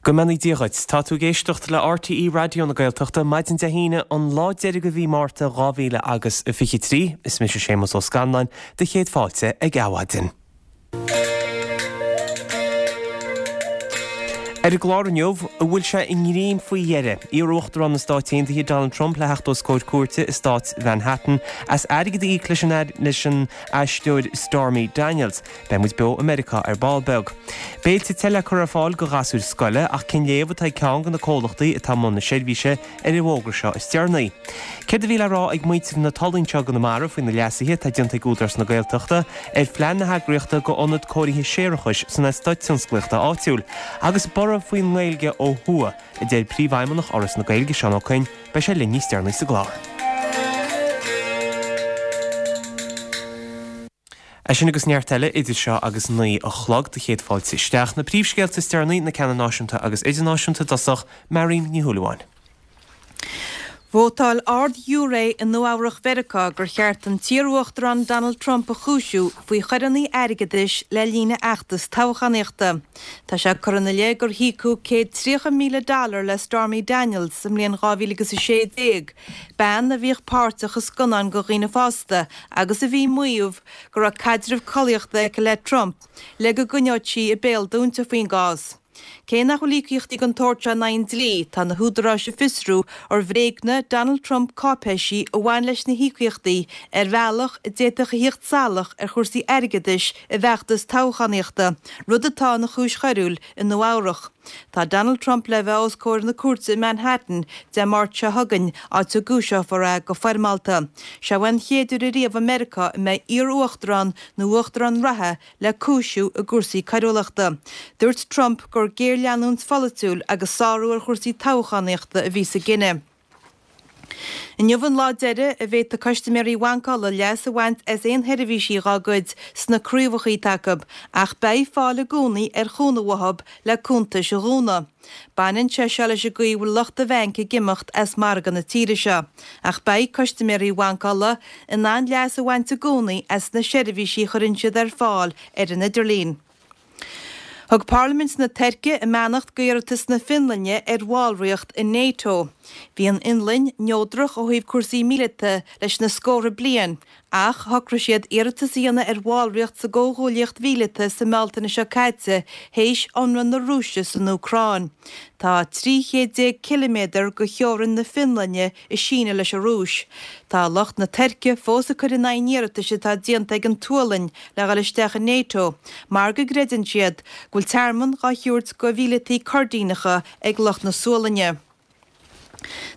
Go mbeannaí Dia dhuit. Tá tú ag éisteacht le RTÉ Raidió na Gaeltachta, maidin Dé hAoine, an lá deiridh de mhí Márta 2023. Is mise Séamus Ó Scanláin, do chéad fáilte ag Adhmhaidin. Ar an gclár inniu, an bhfuil sé i ngreim faoi dheireadh? Iar-Uachtarán na Stáit Aontaithe Donald Trump le theacht os comhair cúirte i stát Mhanhattan as airgead a íoc leis an aisteoir Stormy Daniels. Beidh muid beo i Meiriceá ar ball beag. Béilte te le cur ar fáil do ghasúir scoile ach cén léamh atá ag ceann de na comhlachtaí atá i mbun na seirbhíse ar an bhfógra seo is deireanaí? Céard a bhí le rá ag muintir na Tulaí anseo i gConamara faoi na leasuithe atá déanta ag Údarás na Gaeltachta ar phlean na heagraíochta do ionad cóirithe séarachais san eastát tionsclaíochta áitiúil? Agus borradh faoin nGaeilge ó thuaidh, a deir Príomhfheidhmeannach Fhoras na Gaeilge, Seán Ó Coinn, Beidh sé linn níos deireanaí sa gclár. É sin agus neart eile idir seo agus 9 a chlog. Do chéad fáilte isteach. Na príomhscéalta is deireanaí, na ceanna náisiúnta agus idirnáisiúnta i dtosach, Marion Ní Shúilleabháin. Vótáil ard-ghiúiré i Nua-Eabhrac Mheiriceá gur cheart an t-iar-uachtarán Donald Trump a chúisiú faoi choireanna airgeadais le linn a fheachtas toghchánaíochta. Tá sé curtha ina leith gur híocadh 130,000 dollar le Stormy Daniels sa mbliain 2016, bean a bhíodh páirteach i scannáin do dhaoine fásta agus a bhí ag maíomh go raibh caidreamh collaíochta aici le Trump le go gcoinneodh sí a béal dúnta faoin gcás. Cé nach bhfuil íocaíochtaí den tsórt seo in aghaidh an dlí, tá na húdaráis ag fiosrú ar bhréagnaigh Donald Trump cáipéisí a bhain leis na híocaíochtaí ar bhealach a d'fhéadfadh a theacht salach ar chúrsaí airgeadais a bhfeachtas toghchánaíochta, rud atá ina chúis choiriúil i Nua-Eabhrac. Tá Donald Trump le bheith os comhair na cúirte i Manhattan Dé Máirt seo chugainn, áit a gcúiseofar é go foirmeálta. Seo é an chéad uair ariamh i Meiriceá a mbeidh iar-uachtarán nó uachtarán reatha le cúisiú i gcúrsaí coiriúlachta. Dúirt Trump gur géarleanúint pholaitiúil agus sárú ar chúrsaí toghchánaíochta a bhí sa gcinneadh. Inniu an lá deiridh a bhféadfaidh custaiméirí Bhanc Uladh leas a bhaint as aon sheirbhísí dhá gcuid sna craobhacha atá acu, ach beidh fáil i gcónaí ar chúnamh uathu le cuntais a dhúnadh. Baineann sé seo leis an gcaoi a bhfuil lucht an bhainc ag imeacht as margadh na tíre seo, ach beidh custaiméirí Bhanc Uladh in ann leas a bhaint i gcónaí as na seirbhísí a chuireann siad ar fáil ar an idirlíon. Thug Parlaimint na Tuirce a mbeannacht d'iarratas na Fionlainne ar bhallraíocht i NATO. Bhí an Fhionlainn neodrach ó thaobh cúrsaí míleata leis na scórtha bliain, ach shocraigh siad iarratas a dhéanamh ar bhallraíocht sa gcomhghuaillíocht mhíleata sa mBealtaine seo caite théis ionradh na Rúise san Úcráin. Tá 13 chéad ciliméadar de theorainn na Fionlainne ag síneadh leis an Rúis. Tá lucht na Tuirce fós ag cur in aghaidh an iarratais atá déanta ag an tSualainn le dhul isteach i NATO mar go gcreideann siad go bhfuil tearmann dhá thabhairt do mhíleataí Coirdíneacha ag lucht na Sualainne.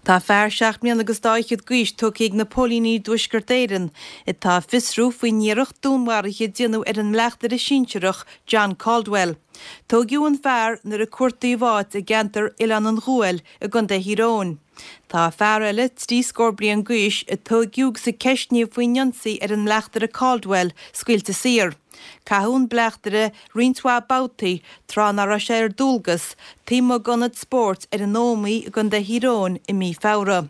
Tá fear seacht mbliana agus dá fhichead d'aois tógtha ag na póilíní i dTuaisceart Éireann atá ag fiosrú faoin iarracht dúnmharaithe a déanadh ar an mbleachtaire sinsearach John Caldwell. Tóigeadh an fear nuair a cuartaíodh áit i gceantar Oileán an Ghuail i gContae Thír Eoghain. Tá fear eile, 30 scór bliain d'aois, a tóigeadh agus a ceistníodh faoin ionsaí ar an mbleachtaire Caldwell, scaoilte saor. Caitheadh an bleachtaire roinnt mhaith babhtaí tráth nach raibh sé ar dualgas, taobh amuigh d'ionad spóirt ar an Ómaigh i gContae Thír Eoghain i mí Feabhra.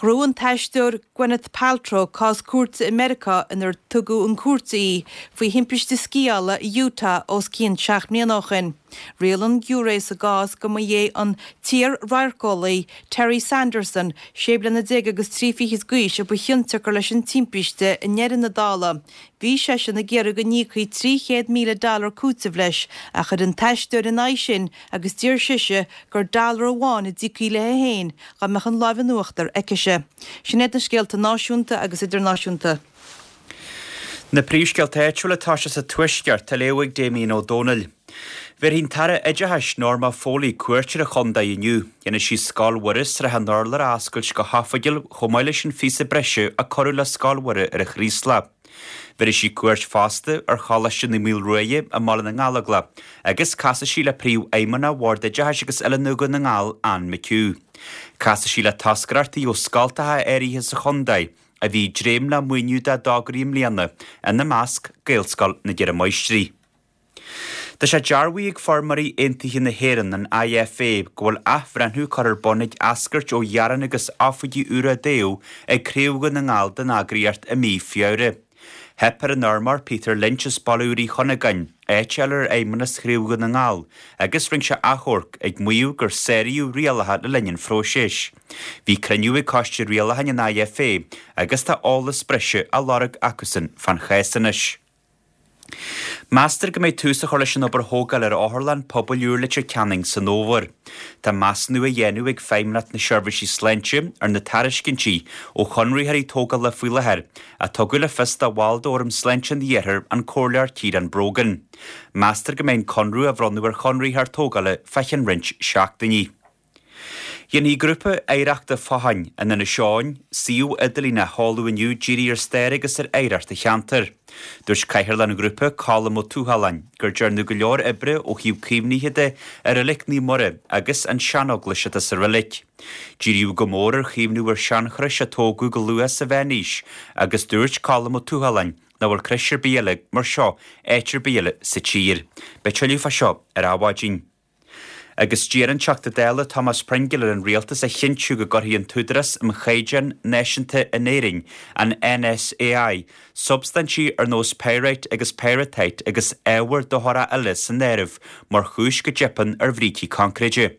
Ghnóthaigh an t-aisteoir Gwyneth Paltrow cás cúirte i Meiriceá inar tugadh chun cúirte í faoi thimpiste sciála i Utah os cionn 7 mbliana ó shin. Rialaigh an giúiré sa gcás go mba é an t-iar-radharceolaí Terry Sanderson, 16 bliana agus 3 fichid d'aois, a ba chionsiocair leis an timpiste i ndeireadh na dála. Bhí seisean ag iarraidh go n-íocfaí 300,000 dollar cúitimh leis, ach chuir an t-aisteoir ina aghaidh sin agus d'iarr sise gur dollar amháin a d'íocfaí léi féin dá mbeadh an láimh in uachtar aicise. Sin iad na scéalta náisiúnta agus idirnáisiúnta. Na príomhscéalta áitiúla atá sé sa Tuaisceart á léamh ag Damien Ó Dónaill. Bhéarfaidh an tAire Oideachais, Norma Foley, cuairt ar an chontae inniu. Déanfaidh sí Scoil Mhuire, Srath an Urláir a oscailt go hoifigiúil chomh maith leis an phíosa breise a cuireadh le Scoil Mhuire ar an Chraoslach. Bhéarfaidh sí cuairt fosta ar Choláiste Naomh Maolruaidh i mBaile na nGallóglach agus casfaidh sí le Príomhfheidhmeannach Bhord Oideachais agus Oiliúna Dhún na nGall, Anne McHugh. Casfaidh sí le toscaireachtaí ó scoltacha áirithe sa chontae a bhí ag dréim le maoiniú dá dtograí i mbliana, ina measc, Gaelscoil na gCeithre Máistrí. Tá sé dearbhaithe ag Feirmeoirí Aontaithe na hÉireann, an IFA, go bhfuil athbhreithniú curtha ar bun ag eascairt ó ghearáin agus oifigí úra a toghadh ag Craobh Dhún na nGall den eagraíocht i mí Feabhra. Theip ar an fheirmeoir Peter Lynch as Baile Úr Uí Chunagáin áit a fháil ar fheidhmeannas Chraobh Dhún na nGall agus rinne sé achomharc ag maíomh gur sáraíodh rialacha le linn an phróisis. Bhí cruinniú ag Coiste Rialacháin an IFA agus tá eolas breise á lorg acusan fán chás anois. Meastar go mbeidh tús á chur leis an obair thógáil ar Otharlann Pobail úr Leitir Ceanainn san fhómhar. Tá measúnú á dhéanamh ag Feidhmeannacht na Seirbhísí Sláinte ar na tairiscintí ó chonraitheoirí tógála faoi láthair, a tugadh le fios do bhall d'Fhóram Sláinte an Iarthair, an Comhairleoir Ciarán Brogan. Meastar go mbeidh an conradh á bhronnadh ar chonraitheoir tógála fá cheann roinnt seachtainí. Dhéanfaidh Grúpa Oidhreachta Fathain in Inis Eoghain suíomh idirlín a sheoladh inniu dírithe ar stair agus ar oidhreacht an cheantair. Dúirt Cathaoirleach an ghrúpa, Colm Ó Tuathaláin, gur dearnadh go leor oibre ó thaobh caomhnaithe de ar Reilig Naomh Muire agus an seaneaglais atá sa reilig. Díríodh go mór ar chaomhnú ar seanchrois a tógadh go luath sa mheánaois agus dúirt Colm Ó Tuathaláin nach bhfuil crois ar bith eile mar seo áit ar bith eile sa tír. Beidh tuilleadh fá seo ar Adhmhaidin. Agus d'iarr an Teachta Dála Thomas Pringle ar an Rialtas a chinntiú go gcuirfidh an tÚdarás um Chaighdeáin Náisiúnta in Éirinn, an NSAI, substaintí ar nós pyrite agus pyrrhotite agus ábhar dochrach eile san áireamh mar chúis go dteipeann ar bhrící coincréide.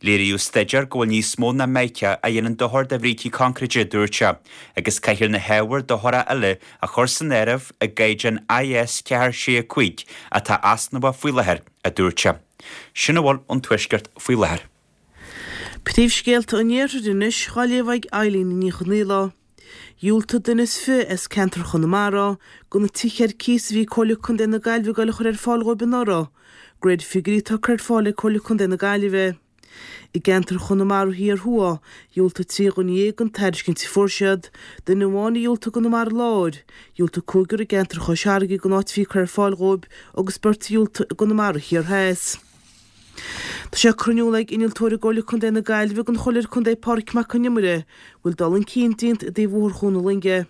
Léiríodh staidéar go bhfuil níos mó ná mica a dhéanann dochar do bhrící coincréide, a dúirt sé, agus caithfear na hábhair dochracha eile a chur san áireamh i gcaighdeán IS 4 6 5 atá easnamhach faoi láthair, a dúirt sé. Sin a bhfuil ón Tuaisceart faoi láthair. Príomhscéalta an Iarthair anois dhá léamh ag Eileen Ní Chonghaile. Dhiúltaigh duine is fi as ceantar Chonamara go na tithe ar cíos a bhí Comhairle Contae na Gaillimhe ag dul a chur ar fáil dhóibh anuraidh, de réir figiúirí atá curtha ar fáil ag Comhairle Contae na Gaillimhe. I gceantar Chonamara Thiar Thuaidh, dhiúltaigh 13 dhuine don tairiscint a fuair siad, duine amháin a dhiúltaigh i gConamara Láir, dhiúltaigh cúigear i gceantar Chois Fharraige don áit a bhí curtha ar fáil dhóibh agus beirt a dhiúltaigh i gConamara Thiar Theas. Tá sé curtha in iúl ag innealtóir i gComhairle Contae na Gaillimhe don Chomhairleoir Contae Pádraig Mac Con Iomaire go bhfuil dul chun cinn déanta i dtaobh Bhóthar Chuan na Loinge.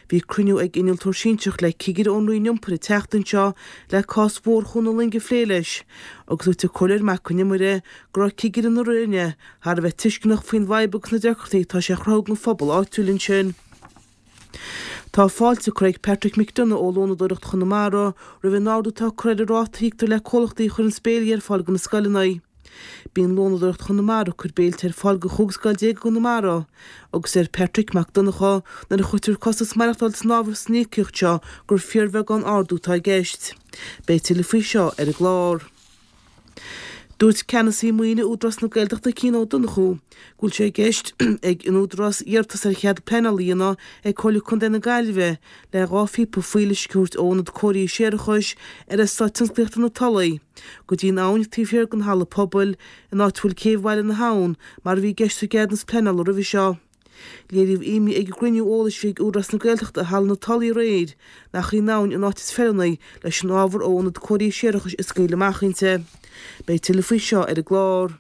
Bhí cruinniú ag innealtóir sinsearach le cigire ón Roinn Iompair an tseachtain seo le cás Bhóthar Chuan na Loinge a phlé leis, agus dúirt an Comhairleoir Mac Con Iomaire go raibh cigire na Roinne thar a bheith tuisceanach faoin bhfadhb agus na deacrachtaí atá sé a chruthú don phobal áitiúil ansin. Tá fáilte curtha ag Patrick McDonagh ó Lónadóireacht Chonamara roimh an ardú atá curtha ar an ráta a íoctar le comhlachtaí a chuireann béilí ar fáil do na scoileanna. Bíonn Lónadóireacht Chonamara ag cur béilte ar fáil do chúig scoil déag i gConamara agus deir Patrick Mac Donncha nuair a chuirtear costas maireachtáil san áireamh san íocaíocht seo gur fíorbheagán ardú atá i gceist. Beidh tuilleadh faoi seo ar an gclár. Dúirt Ceannasaí Maoine Údarás na Gaeltachta Cian Ó Donnchú go bhfuil sé i gceist ag an Údarás iarratas ar chead pleanála a dhéanamh ag Comhairle Contae na Gaillimhe le 2 phíopa fuíolluisce a thabhairt ó ionad cóirithe séarachais ar Eastát Tionsclaíochta na Tulaí go dtí an abhainn taobh thiar den halla pobail in áit a bhfuil céibh Bhaile na hAbhann mar a bhí i gceist sa gceadúnas pleanála roimhe seo. Léiríodh imní ag an gcruinniú eolais a bhí ag Údarás na Gaeltachta i Halla na Tulaí aréir nach í an abhainn an áit is feiliúnaí leis an ábhar ó ionad cóirithe séarachais a scaoileadh amach inti. Beidh tuilleadh faoi seo ar an gclár.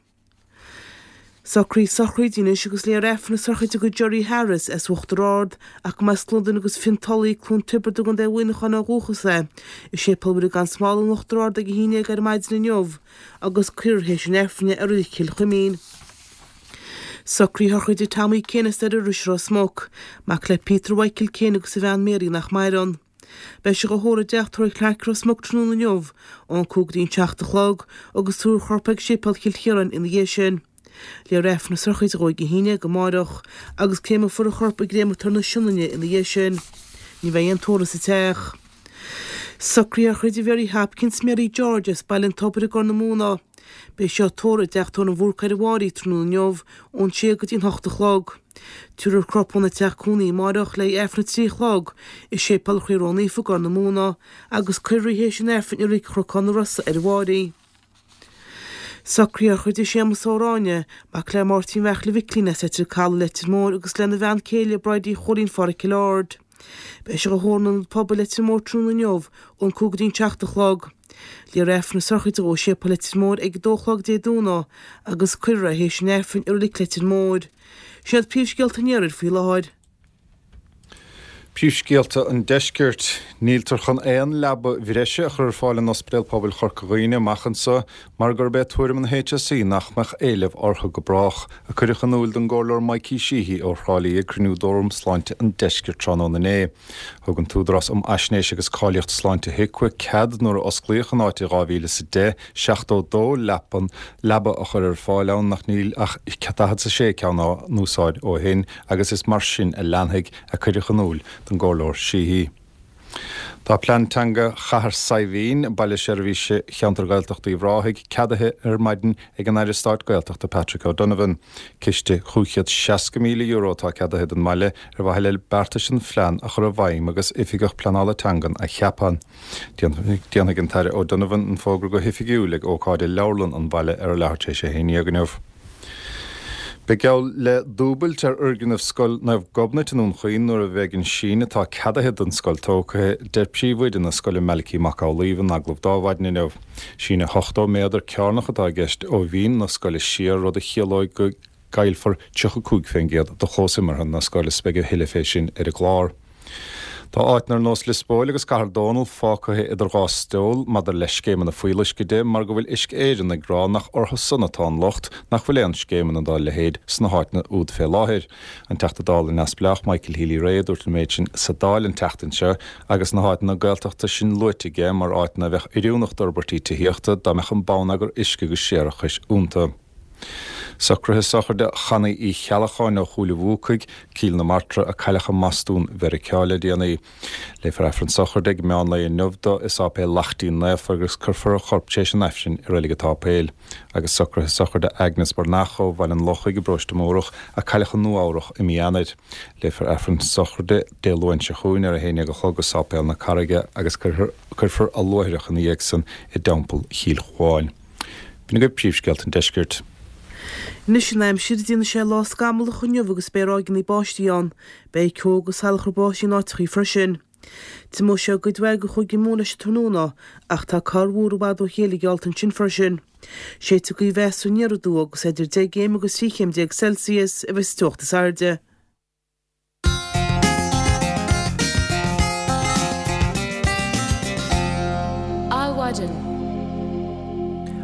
Socruithe sochraide anois agus léifear Aifreann na sochraide do Gerry Harris as Uachtar Ard ach go mba as Londain agus Fionn Tulaigh, Cluain Tiobraid i gContae Mhuineacháin ó dhúchas é. I Séipéal Mhuire gan Smál in Uachtar Ard ag a haon dhéag ar maidin inniu agus cuirfear théis an Aifrinn é i Reilig Chill Chuimín. Socruithe sochraide Tommy Kane as Doire Rois Ros Muc, mac le Peter Mhichael Kane agus a bhean Mary nach maireann. Beidh sé dhá thórramh i dteach tórraimh Clarke Ros Muc tráthnóna inniu, ón 5 go dtí an 7 a chlog, agus tabharfar a chorp ag Séipéal Chill Chiaráin ina dhiaidh sin. Léifear Aifreann na sochraide dhó ag a haon dhéag amáireach, agus créamfar a chorp i gcréamatóir na Sionainne ina dhiaidh sin. Ní bheidh aon tórramh sa teach. Socruithe sochraide Mhary Hopkins Mary George as Baile an Tobair i gCorr na Móna. Beidh sí á tórramh i dteach tórraimh an Bhúrcaigh ar an Bháirí tráthnóna inniu ón sé go dtí an hocht a chlog. Tabharfar a corp óna teach cónaí amáireach le haghaidh Aifreann a 3 a chlog i Séipéal Chroí Ró-Naofa i gCorr na Móna agus cuirfear í théis an Aifrinn i Reilig Chnocán na Rosa ar an Bháirí. Socruithe sochraide Séamus Ó Ráinne, mac le Máirtín Bheartla Mhicilín as Leitir Caladh, Leitir Móir agus lena bhean céile Bridie Chóilín Pháraic Chill Ard. Beidh sé dhá thórramh in Ionad Pobail Leitir Móir tráthnóna inniu ón 5 go dtí an 7 a chlog. Léifear Aifreann na sochraide dhó i Séipéal Leitir Móir ag 2 a chlog Dé Domhnaigh agus cuirfear é théis an Aifrinn i Reilig Leitir Móir. Sin iad príomhscéalta an Iarthair faoi láthair. Príomhscéalta an Deiscirt. Níltear chun aon leaba bhreise a chur ar fáil in Ospidéal Pobail Chorca Dhuibhne amach anseo mar gurb é tuairim an HSE nach mbeadh éileamh orthu go brách, a cuireadh in iúil don gComhairleoir Mikey Sheehy ó Thrá Lí ag cruinniú d'Fhóram Sláinte an Deiscirt tráthnóna inné. Thug an tÚdarás um Fhaisnéis agus Cáilíocht Sláinte HIQA cead nuair a osclaíodh an áit i 2010 72 leapan, leaba a chur ar fáil ann ach níl ach 46 ceann á n-úsáid ó shin agus is mar sin a leanfaidh. a cuireadh in iúil don gComhairleoir Sheehy. Tá plean teanga Chathair Saidhbhín, baile seirbhíse cheantar Gaeltachta Uíbh Ráthaigh, ceadaithe ar maidin ag an Aire Stáit Gaeltachta Patrick O'Donovan. Ciste €560,000 atá ceadaithe don mbaile ar mhaithe le beartais an phlean a chur i bhfeidhm agus Oifigeach Pleanála Teangan a cheapadh. Déanfaidh an tAire O'Donovan an fógra go hoifigiúil ag ócáid i leabharlann an bhaile ar a leathuair tar éis a haon dhéag inniu. Beidh geall le dúbailt ar fhoirgneamh Scoil Naomh Gobnait i nDún Chaoin nuair a bheidh an síneadh atá ceadaithe don scoil tógtha, deir príomhoide na scoile Malachy Mac Amhlaoibh in agallamh d'Adhmhaidin inniu. Síneadh 80 méadar cearnach atá i gceist ó bhinn na scoile siar, rud a chiallóidh go gcaillfear 35% de chlós imeartha na scoile is beidh a thuilleadh fé sin ar an gclár. Tá áiteanna ar nós Lios Póil agus Cathair Dónall fágtha idir dhá stól maidir le scéimeanna fuíolluisce de mar go bhfuil Uisce Éireann ag rá nach orthu san atá an locht nach bhfuil aon scéimeanna dá leithéid sna háiteanna úd fé láthair. An Teachta Dála neamhspleách Michael Healy-Rae a dúirt an méid sin sa Dáil an tseachtain seo agus na háiteanna Gaeltachta sin luaite aige mar áiteanna a bheadh oiriúnach d'fhorbairtí tithíochta dá mbeadh an bonneagar uisce agus séarachais iontu. Socruithe sochraide Channaí Uí Cheallacháin ó Chúil an Bhuacaigh, Cill na Martra, a cailleadh i mBostún Mheiriceá le déanaí. Léifear Aifreann sochraide ag meán lae inniu do i Sáipéal Laichtín Naofa agus cuirfear a chorp tar éis an Aifrinn i Reilig an tSáipéil. Agus socruithe sochraide Agnes Breathnach ó Bhaile an Lochaigh i bParóiste Mórdhach a cailleadh i Nua Eabhrach i mí Eanáir. Léifear Aifreann sochraide Dé Luain seo chugainn ar 11 a chlog i Sáipéal na Carraige agus cuirfear a luaithreach ina dhiaidh san i dTeampall Chill Chuáin. B'in agaibh príomhscéalta an deiscirt. Anois an aimsir, déanfaidh sé lá scamallach inniu agus beidh ráigeanna báistí ann. Beidh ceo agus salachar báistí in áiteachaí freisin. Tiomóidh sé i gcuid mhaith de Chúige Mumhan leis an tráthnóna ach tá corrmhúr i bhfad ó chéile geallta ansin freisin. Séidfidh gaoth mheasartha aniar aduaidh agus idir 10 gcéim agus 13 chéim Celsius a bheidh sa teocht is airde. Adhmhaidin.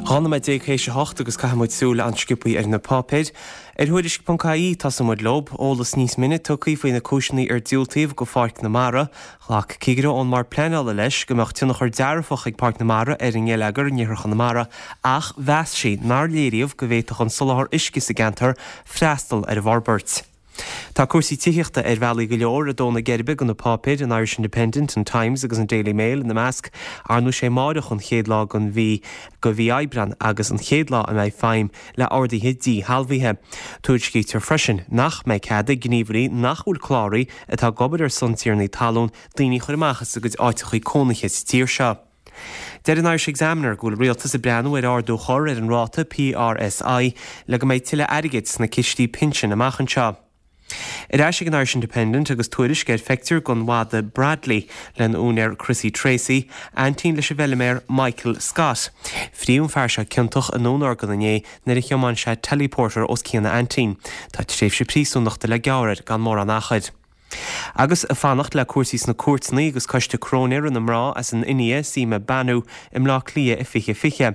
12 nóiméad théis a hocht agus caithfidh muid súil an-sciobthaí ar na páipéir. Ar Thuairisc ponc ie tosóidh muid leo. Eolas níos mine tugtha faoi na cúiseanna ar diúltaíodh go Pháirc na Mara. Ghlac cigire ón mBord Pleanála leis go mbeadh tionchar dearfach ag Páirc na Mara ar an ngeilleagar in iarthar Chonamara ach mheas sí nár léiríodh go bhféadfadh an soláthar uisce sa gceantar freastal ar an bhforbairt. Tá cúrsaí tithíochta ar bhealaí go leor ag dó na geirbe do na páipéir, an Irish Independent, an Times agus an Daily Mail ina measc. Ar ndóigh sé amáireach an chéad lá den mhí de mhí Aibreán agus an chéad lá a mbeidh feidhm le orduithe díshealbhaithe. Tuairiscítear freisin nach mbeidh cead ag gníomhairí nach bhfuil cláraithe atá ag obair ar son tiarnaí talún daoine a chur amach as a gcuid áiteachaí cónaithe sa tír seo. Deir an Irish Examiner go bhfuil an Rialtas ag breathnú ar ardú a chur ar an ráta PRSI le go mbeidh tuilleadh airgid sna cistí pinsin amach anseo. Ar ais ag an Irish Independent agus tuairisc ar phictiúr den mhadadh Bradley lena úinéir Chrissy Tracey, aintín leis an bhfeilméar Michael Scott. Fríodh an fear seo ciontach i ndúnorgain inné nuair a thiomáin sé teleporter os cionn a aintín. Tá tréimhse príosúnachta le gearradh air gan mórán achair. Agus ag fanacht le cúrsaí sna cúirteanna agus Coiste Cróinéara na Mná as an India, Seema Banu, i mBleá Cliath i 2020.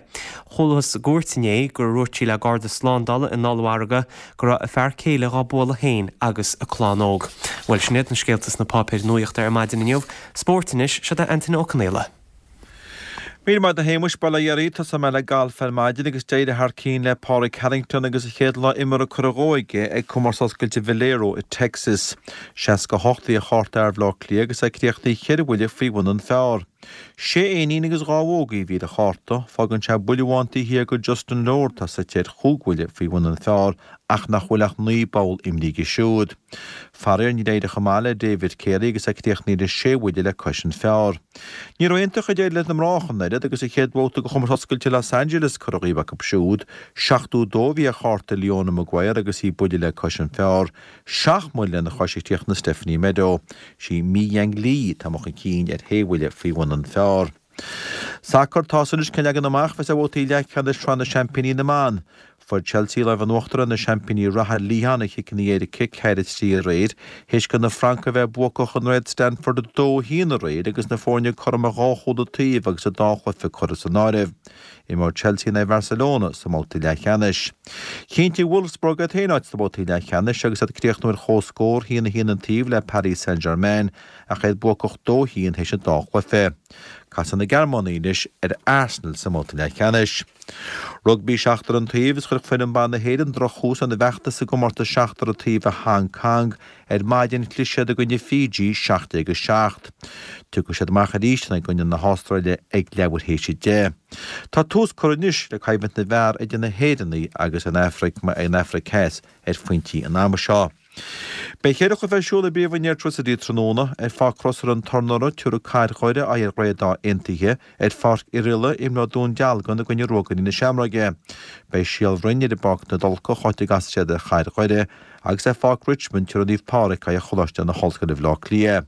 Chualathas i gcúirt inné gur dhúirt sí le Garda Slándála in ollmhargadh go raibh a fear céile dhá bualadh féin agus a clann óg. Bhuel, sin iad na scéalta sna páipéir nuachta ar maidin inniu. Spórt anois, seo é Antaine Ó Conaola. Míle maith agat a Shéamuis, bail ó Dhia oraibh, tosóidh mé le galf ar maidin agus d'éirigh thar cinn le Pádraig Harrington agus a chéad lá imeartha curtha dhó aige ag Comórtas Oscailte Valero i Texas. 68 a bhí ar chárta fhear Bhaile Átha Cliath agus é críochnaithe cheithre bhuille faoi bhun an phar. Sé éinín agus dhá bhógaí a bhí ar a chárta, fágann sé buille amháin taobh thiar de Justin Lower atá suite ar chúig bhuille faoi bhun an phar ach nach bhfuil ach 9 bpoll imrithe aige siúd. Faraor níor éirigh chomh maith le David Carey agus é críochnaithe le sé bhuille le cois an phar. Ní raibh iontach ag éirí leis na mná ach an oiread agus an chéad bhabhta de Chomórtas Oscailte Los Angeles curtha dhíobh acu siúd. 72 a bhí ar chárta Leona Maguire agus í buille le cois an phar. Seacht mbuille lena chois a chríochnaigh Stephanie Meadow. Sí Mi Yang Lee atá amuigh chun cinn ar shé bhuille faoi bhun an phar. Sacar, Tá a fhios anois cén leagan amach a bheas ar bhabhtaí leathcheannais Shraith na Seaimpíní na mBan. Fuair Chelsea lámh in uachtar ar na seaimpíní reatha Lyon ar chiceanna éirice, 4-3 aréir, théis do na Francaigh a bheith buacach in aghaidh Stanford 2-1 aréir agus na foirne cothrom ar dhá chúl an taobh agus an dá chluiche curtha san áireamh. Imreoidh Chelsea in aghaidh Bharcelona sa mbabhta leathcheannais. Chinntigh Wolfsburg iad féin áit sna babhtaí leathcheannais agus iad ag críochnú ar comhscór, 1-1 an taobh le Paris Saint-Germain ach iad buacach 2-1 théis an dá chluiche. Casfaidh na Gearmánaigh anois ar Arsenal sa mbabhta leathcheannais. Rugbaí seachtar an taobh is chuir foireann ban na hÉireann drochthús lena bhfeachtas i gcomórtas seachtar an taobh i Hong Kong ar maidin. Chlis siad i gcoinne Fiji 17 7. Tiocfaidh siad amach arís i gcoinne na hAstráile ag leathuair théis 10. Tá tús curtha anois le coimhlint na bhfear idir na hÉireannaigh agus an Afraic an Afraic Theas ar phointí an ama seo. Beidh cheithre chluiche ar siúl i bPríomhroinn Airtricity tráthnóna. Ar Pháirc Crosaire an Tornora, tabharfaidh Cathair Dhoire aghaidh ar Ghaoth Dobhair Aontaithe. Ar Pháirc Oirialla, imreoidh Dún Dealgan i gcoinne Ruagairí na Seamróige. Beidh Síol Bhroin ar an bPáirc na dTulcach, áit a gcasfaidh siad ar Chathair Dhoire, agus ar Pháirc Richmond, tabharfaidh Naomh Pádraig aghaidh ar Choláiste na hOllscoile Bhaile Átha Cliath.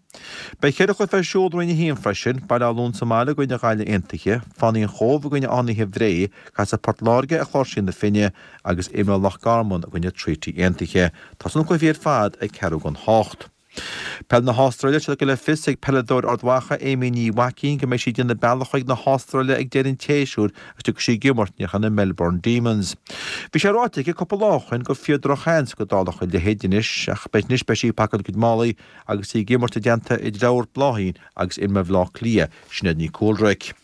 Beidh cheithre chluiche ar siúl i Roinn 1 freisin, Baile Átha Luain sa mbaile i gcoinne Ghaillimh Aontaithe, Fánaí an Chóibh i gcoinne Fhánaithe Bhré, casfaidh Port Láirge ar Chláirsí na Finne, agus imreoidh Loch Garman i gcoinne Treaty Aontaithe. Tosóidh na cluichí ar fad ag ceathrú don hocht. Peil na hAstráile, Tá sé tugtha le fios ag peileadóir Ard Mhacha, Amy Ní Mhaicín, go mbeidh sí ag déanamh bealach chuig na hAstráile ag deireadh an tséasúir agus tiocfaidh sí ag imirt ar son na Melbourne Demons. Bhí sé ráite aici cúpla lá ó shin gur fíor drochsheans go dtarlódh a leithéid anois ach beidh anois beidh sí ag pacáil a cuid málaí agus í ag imirt i dteannta a dearthár Bláithín agus Imma Bhaile Átha Cliath, Sinéad Ní Cúlraic.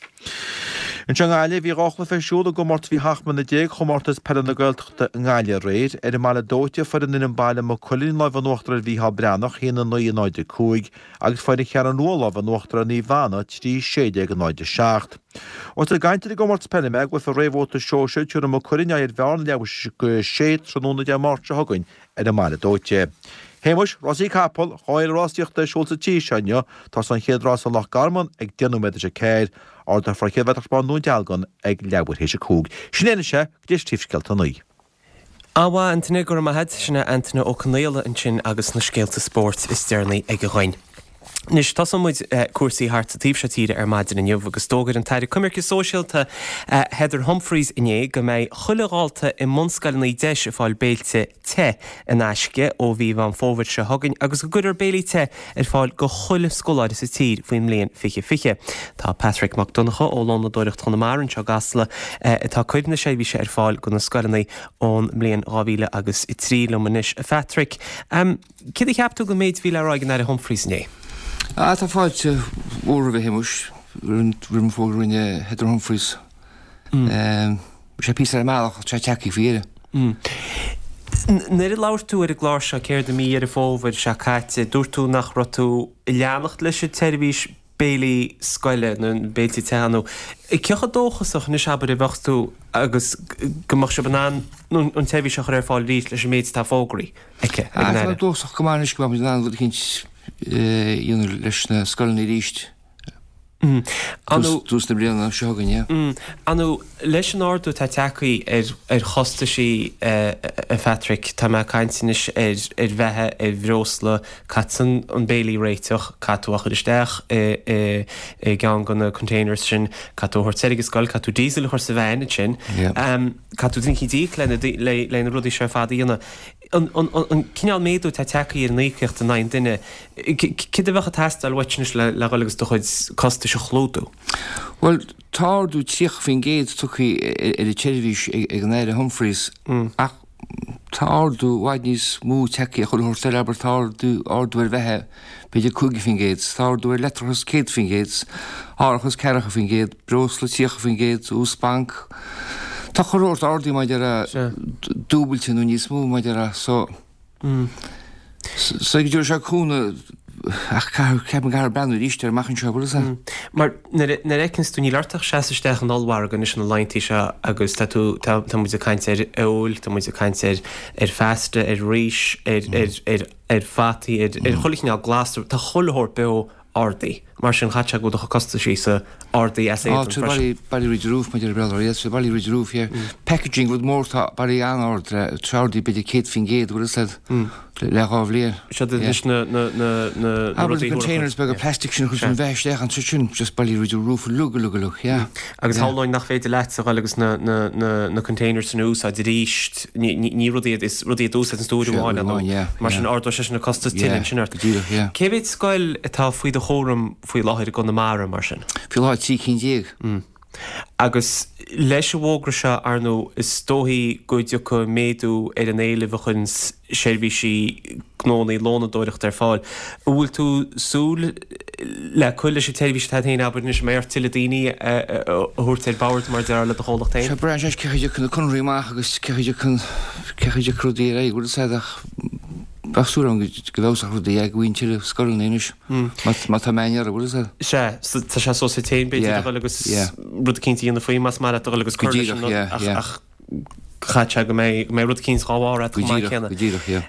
Anseo i nGaillimh, bhí 2 chluiche ar siúl i gcomórtas faoi 17 mbliana Chomórtas Peile na Gaeltachta i nGaillimh aréir. Ar an mBaile Dóite, fuair an fhoireann baile Maigh Cuilinn lámh in uachtar ar Mhícheál Breathnach, 1, 9, 0, 5, agus fuair an Cheathrú Rua lámh in uachtar ar Naomh Anna, 3, 16, 0, 7. Ós ag caint ar an gcomórtas peile mé, i gcluiche réamhbhabhta sóisir, tabharfaidh Maigh Cuilinn aghaidh ar Bhearna leathuair tar éis a 6 tráthnóna Dé Máirt seo chugainn ar an mBaile Dóite. Shéamuis, rásaí capall, 2 fhéile rásaíochta ar siúl sa tír seo inniu. Tosóidh an chéad rás i Loch Garman ag 10 nóiméad tar éis a 4. Ardófar an chéad bhratach bán i nDún Dealgan ag leathuair théis a 5. Sin é anois é, go dtí Príomhscéalta a 9. An-mhaith, Antaine, go raibh maith a't. Sin é Antaine Ó Conaola ansin agus na scéalta spóirt is deireanaí aige dhuinn. Anois, tosóidh muid cúrsaí thart sa taobh seo tíre ar maidin inniu agus d'fhógair an tAire Coimirce Sóisialta Heather Humphreys inné go mbeidh chuile dhalta i mbunscoileanna deis ag fáil béilte te in aisce ó mhí Mheán Fómhair seo chugainn agus go gcuirfear béilí te ar fáil go chuile scoláire sa tír faoin mbliain 2020. Tá Patrick Mac Donncha ó Lónadóireacht Chonamara anseo i gCasla atá ag cur na seirbhíse ar fáil go na scoileanna ón mbliain 2003 liom anois. A Phatrick, Céard a cheap tú den méid a bhí le rá ag an Aire Humphreys inné? Ah, tá fáilte mhór roimhe, a Shéamuis, roimh an bhfógra a rinne Heather Humphreys. Bhí sé píosa ar an mbealach ach tá sé tagtha faoi dheireadh. Nuair a labhair tú ar an gclár seo, céard, i mí Dheireadh Fómhair seo caite, dúirt tú nach raibh tú ag leanacht leis an tseirbhís béilí scoile nó béiltí te nó cé chomh dóchasach anois abair a bheadh tú agus go mbeadh sibh in ann an tseirbhís a chur ar fáil arís leis an méid atá fógraithe aici ag an Aire? Tá mé dóchasach go maith anois go mbeidh muid in ann rud eicínt a dhéanamh leis na scoileanna arís. Tús na bliana seo chugainn, yeah. Ar ndóigh, leis an ardú atá tagtha ar ar chostaisí, a Phatrick, tá mé ag caint anois ar ar bheatha, ar bhreosla, caithfidh an béilí a réiteach, caithfidh tú a chur isteach i i i gceann de na containers sin, caithfidh tú a thabhairt soir ag an scoil, caithfidh tú diesel a chur sa veain ansin, caithfidh tú duine eicínt a íoc le le na rudaí seo ar fad a dhéanamh. An cineál méadú atá tagtha ar an íocaíocht in aghaidh an duine, céard a bheadh ag teastáil uait anois le dhul agus do chuid costais a chlúdú? Bhuel, tá ardú 30% tugtha ar an tseirbhís ag an Aire Humphreys ach tá ardú i bhfad níos mó tagtha ar chuile shórt eile, abair tá ardú ardú ar bheatha b'fhéidir 5%, tá ardú ar leictreachas 100%, árachas 40%, breosla 30%, ús banc. Tá chuile shórt ardaithe mar a déarfá dúbailte nó níos mó mar a déarfá so so go dtabharfaidh sé cúnamh ach ceapaim go gcaithfear breathnú arís air amach anseo bhfuil fhios a'd. Mar nuair a nuair a fheiceanns tú níl ort ach seasamh isteach in ollmhargadh anois na laethanta seo agus tá tú tá tá muid ag caint ar fheoil, tá muid ag caint ar ar phasta, ar rís, ar ar ar ar fataí, ar ar chuile chineál glasra, tá chuile shórt beo ardaithe. Mar sin chaithfeadh sé go bhfuil do chuid costaisí-sa ardaithe as éadan freisin. Tá sé barraí through the roof maidir le Béarla, yes, barraí through the roof, yeah. Packaging, rud mór, tá barraí an-ard, tá ardaithe b'fhéidir 100%, bhfuil fhios a'd. Le 2 bhliain. Siad anois na rudaí. Abair na containers beaga plastic sin a chuir an bheatha isteach ann sin, just bailigh rudaí roof uilig uilig uilig, yeah. Agus shamhlóinn nach féidir leatsa a dhul agus na containers sin a úsáid arís, ní rudaí iad, is rudaí iad a úsáideann tú uair amháin, ar ndóigh. Mar sin ardóidh sé sin an costas tuilleadh ansin ort. Go díreach, yeah. Cé mhéad scoil atá faoi do chúram faoi láthair i gConamara, mar sin? Faoi láthair 13 cinn. Agus leis an bhfógra seo, ar ndóigh, is dóichí go dtiocfaidh méadú ar an éileamh a chuireann seirbhísí gnónna lónadóireachta ar fáil. An bhfuil tú súil le cur leis an tseirbhís atá agat féin, abair anois, an mbeidh ort tuilleadh daoine a thabhairt ar bord, mar a déarfá, le do chomhlacht féin? Sea, braitheann sé cé chaoi a dtiocfaidh na conarthaí amach agus cé chaoi a dtiocfaidh cé chaoi a dtiocfaidh rudaí ar aghaidh, bhfuil a fhios agat, ach bheadh súil agam go bhfeabhsódh rudaí, go bhfaighinn tuilleadh scoileanna anois. Má tá meáin orthu, bhfuil a fhios agat? Sea, tá sé suas duit féin, b'fhéidir, a dhul agus rud eicínt a dhéanamh faoi, más maith leat a dhul agus cur leis an rud, ach caithfidh sé go mbeidh rud eicínt dhá bharr agat chomh maith céanna. Go díreach, yeah.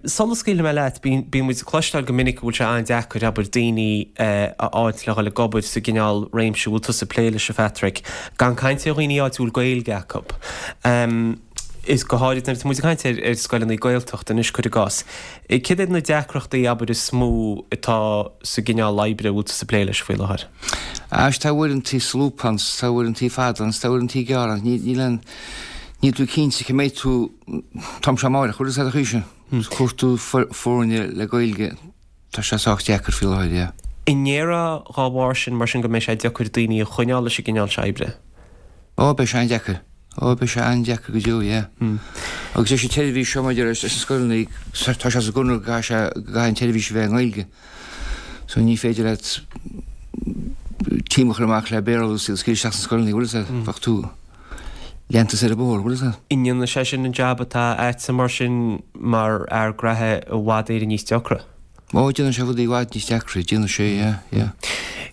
Sula scaoilfidh mé leat, bíonn muid ag cloisteáil go minic go bhfuil sé an-deacair, abair, daoine a fháilt le dhul ag obair sa gcineál réimse a bhfuil tusa ag plé leis, a Phatrick, gan caint ar dhaoine áit a bhfuil Gaeilge acu. Is go háirid nuair atá muid ag caint ar scoileanna Gaeltachta anois, cuir i gcás. Céard iad na deacrachtaí, abair, is mó atá sa gcineál oibre a bhfuil tusa ag plé leis faoi láthair? Éist, tá uaireantaí solúbtha ann, tá uaireantaí fada ann, tá uaireantaí gearr ann. Níl aon, níl tú cinnte cá mbeidh tú, tá sé amáireach, bhfuil a fhios agat an chaoi sin? Cuartú foirne le Gaeilge. Tá sé sách deacair faoi láthair, yeah. An ndéarfá dhá bharr sin, mar sin, go mbeidh sé deacair daoine a choinneáil leis an gcineál seo oibre? Ó, beidh sé an-deacair. Ó, beidh sé an-deacair go deo, yeah. Agus leis an tseirbhís seo maidir leis na scoileanna, tá sé sa gconradh go gcaithfidh sé, go gcaithfidh an tseirbhís a bheith i nGaeilge. So ní féidir leat team a chur amach le Béarla agus iad a scaoileadh isteach sna scoileanna, bhfuil a fhios agat? Bheadh tú leanta ar an bhóthar, bhfuil a fhios agat? An ndéanfaidh sé sin an jab atá agatsa mar sin mar fhear graithe i bhfad Éireann níos deacra? Ó, déanann sé rudaí i bhfad níos deacra, déanann sé, yeah, yeah.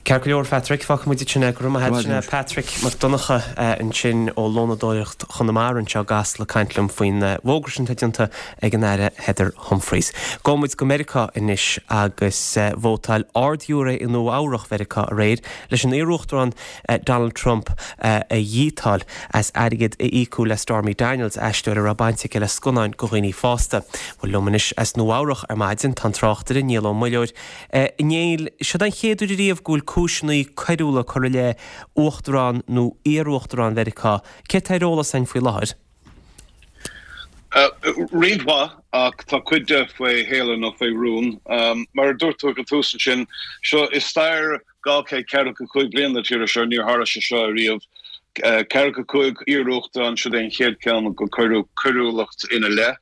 Ceart go leor, Phatrick, fágfaidh muid ansin é. Go raibh maith agat. Sin é Patrick Mac Donncha ansin ó Lónadóireacht Chonamara anseo i gCasla ag caint liom faoin bhfógra sin atá déanta ag an Aire Heather Humphreys. Gabhfaidh muid go Meiriceá anois agus vótáil Ard-Ghiúiré i Nua Eabhrach Mheiriceá aréir leis an iarUachtarán Donald Trump a dhíotáil as airgead a íocadh le Stormy Daniels, aisteoir a raibh baint aici le scannáin do dhaoine fásta. Bhuel, liom anois as Nua Eabhrach ar maidin tá an tráchtaire Niall Ó Muilleoir. A Néill, seod é an chéad uair ariamh go bhfuil cúiseanna coiriúla curtha i leith uachtarán nó iar-uachtarán Mheiriceá. Céard tá ar eolas againn faoi láthair? Roinnt mhaith, ach tá cuid de faoi shéala nó faoi rún. Mar a dúirt tú ag an tús ansin, seo i stair 245 bliain na tíre seo, níor tharla sé seo ariamh. 45 iar-uachtarán, siod é an chéad ceann go cuireadh coiriúlacht ina leith.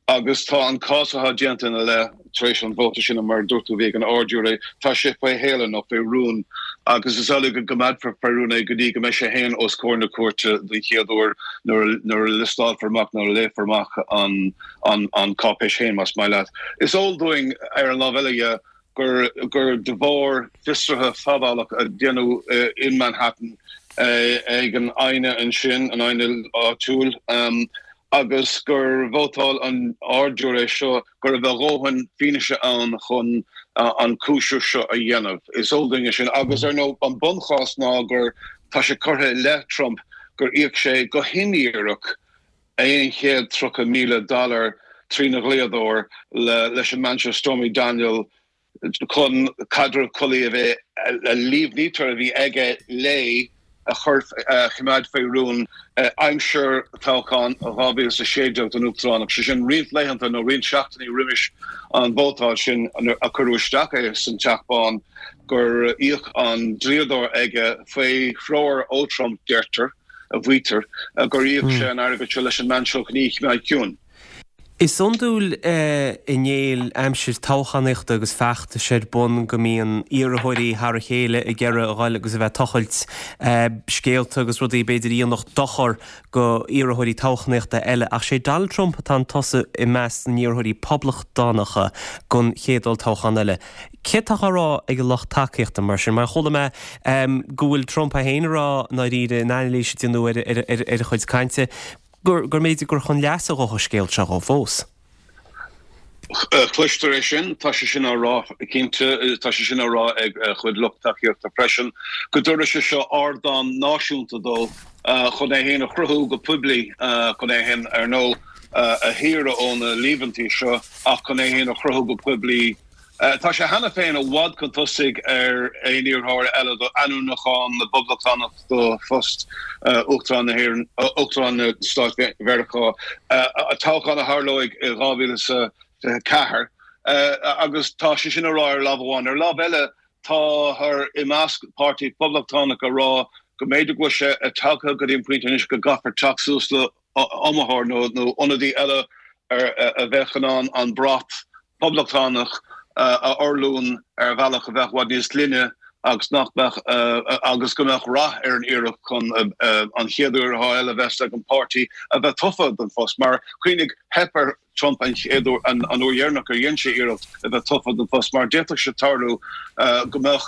Agus tá an cás atá déanta ina leith tar éis an vóta sin, mar a dúirt tú, a bhí ag an Ard-Ghiúiré, tá sé faoi shéala nó faoi rún agus is amhlaidh go gcoimeádfar faoi rún é go dtí go mbeidh sé féin os comhair na cúirte den chéad uair nuair a liostálfar amach, nuair a léifear amach an cáipéis féin, más maith leat. Is eol dúinn, ar an lámh eile dhe, gur gur de bharr fiosruithe fadálach a déanadh in Manhattan ag an aighne ansin, an aighne áitiúil, agus gur vótáil an Ard-Ghiúiré seo go raibh a dhóthain fianaise ann chun an cúiseamh seo a dhéanamh. Is eol dúinn é sin. Agus, ar ndóigh, an bunchás ná gur tá sé curtha i leith Trump gur íoc sé go hindíreach $130,000 dollar trína dhlíodóir leis an mbean seo Stormy Daniel chun caidreamh collaí a bheith a líomhnaítear a bhí aige léi a chur a choimeád faoi rún aimsir toghchán 2016 don Uachtaránacht, sé sin roinnt laethanta nó roinnt seachtainí roimis an vótáil sin a cuireadh isteach é san Teach Bán gur íoc an dlíodóir aige faoi threoir ó Trump, deirtear. a mhaítear gur íoc sé an airgead seo leis an mbean seo chun í a choimeád ciúin. Is iondúil a Néill, aimsir toghchánaíochta agus feachtais ar bun go mbíonn iarrthóirí thar a chéile ag iarraidh a ghoil agus a bheith ag tochailt scéalta agus rudaí b'fhéidir a dhéanfadh dochar go iarrthóirí toghchánaíochta eile ach sé Donald Trump atá chun tosaigh i measc na n-iarrthóirí poblachtánacha don chéad olltoghchán eile. Céard atá á rá ag a lucht tacaíochta mar sin? Mar chuala mé go bhfuil Trump é féin ag rá i ndáiríre in anailís a déanadh ar a chuid cainte gur mb'fhéidir gur chun leasa dhó an scéal seo dhó fós. Cloistear é sin, tá sé sin á rá cinnte, tá sé sin á rá ag a chuid lucht tacaíochta freisin, go dtabharfaidh sé seo ardán náisiúnta dó chun é féin a chruthú go poiblí, chun é féin, ar ndóigh. a shaoradh ó na líomhaintí seo ach chun é féin a chruthú go poiblí. Tá sé cheana féin i bhfad chun tosaigh ar aon iarrthóir eile do ainmniúchán na bPoblachtánach do phost Uachtarán na hÉireann, Uachtarán na Stáit Mheiriceá, toghchán a tharlóidh i 2024. Agus tá sé sin á rá ar lámh amháin. Ar lámh eile, táthar i measc páirtí Poblachtánach ag rá go mb'fhéidir go bhfuil sé tagtha go dtí an pointe anois go gcaithfear teacht suas le iomaitheoir nó ionadaí eile a bheadh in ann an brat Poblachtánach a fhorluí ar bhealach a bheadh i bhfad níos glaine agus nach mbeadh agus go mbeadh rath ar an iarracht chun an chéad iarrthóir eile a bheas ag an bpáirtí a bheith tofa don phost. Mar cuimhnigh, theip ar Trump an chéad uair, an uair dheireanach ar dhein sé iarracht a bheith tofa don phost mar d'fhéadfadh sé tarlú go mbeadh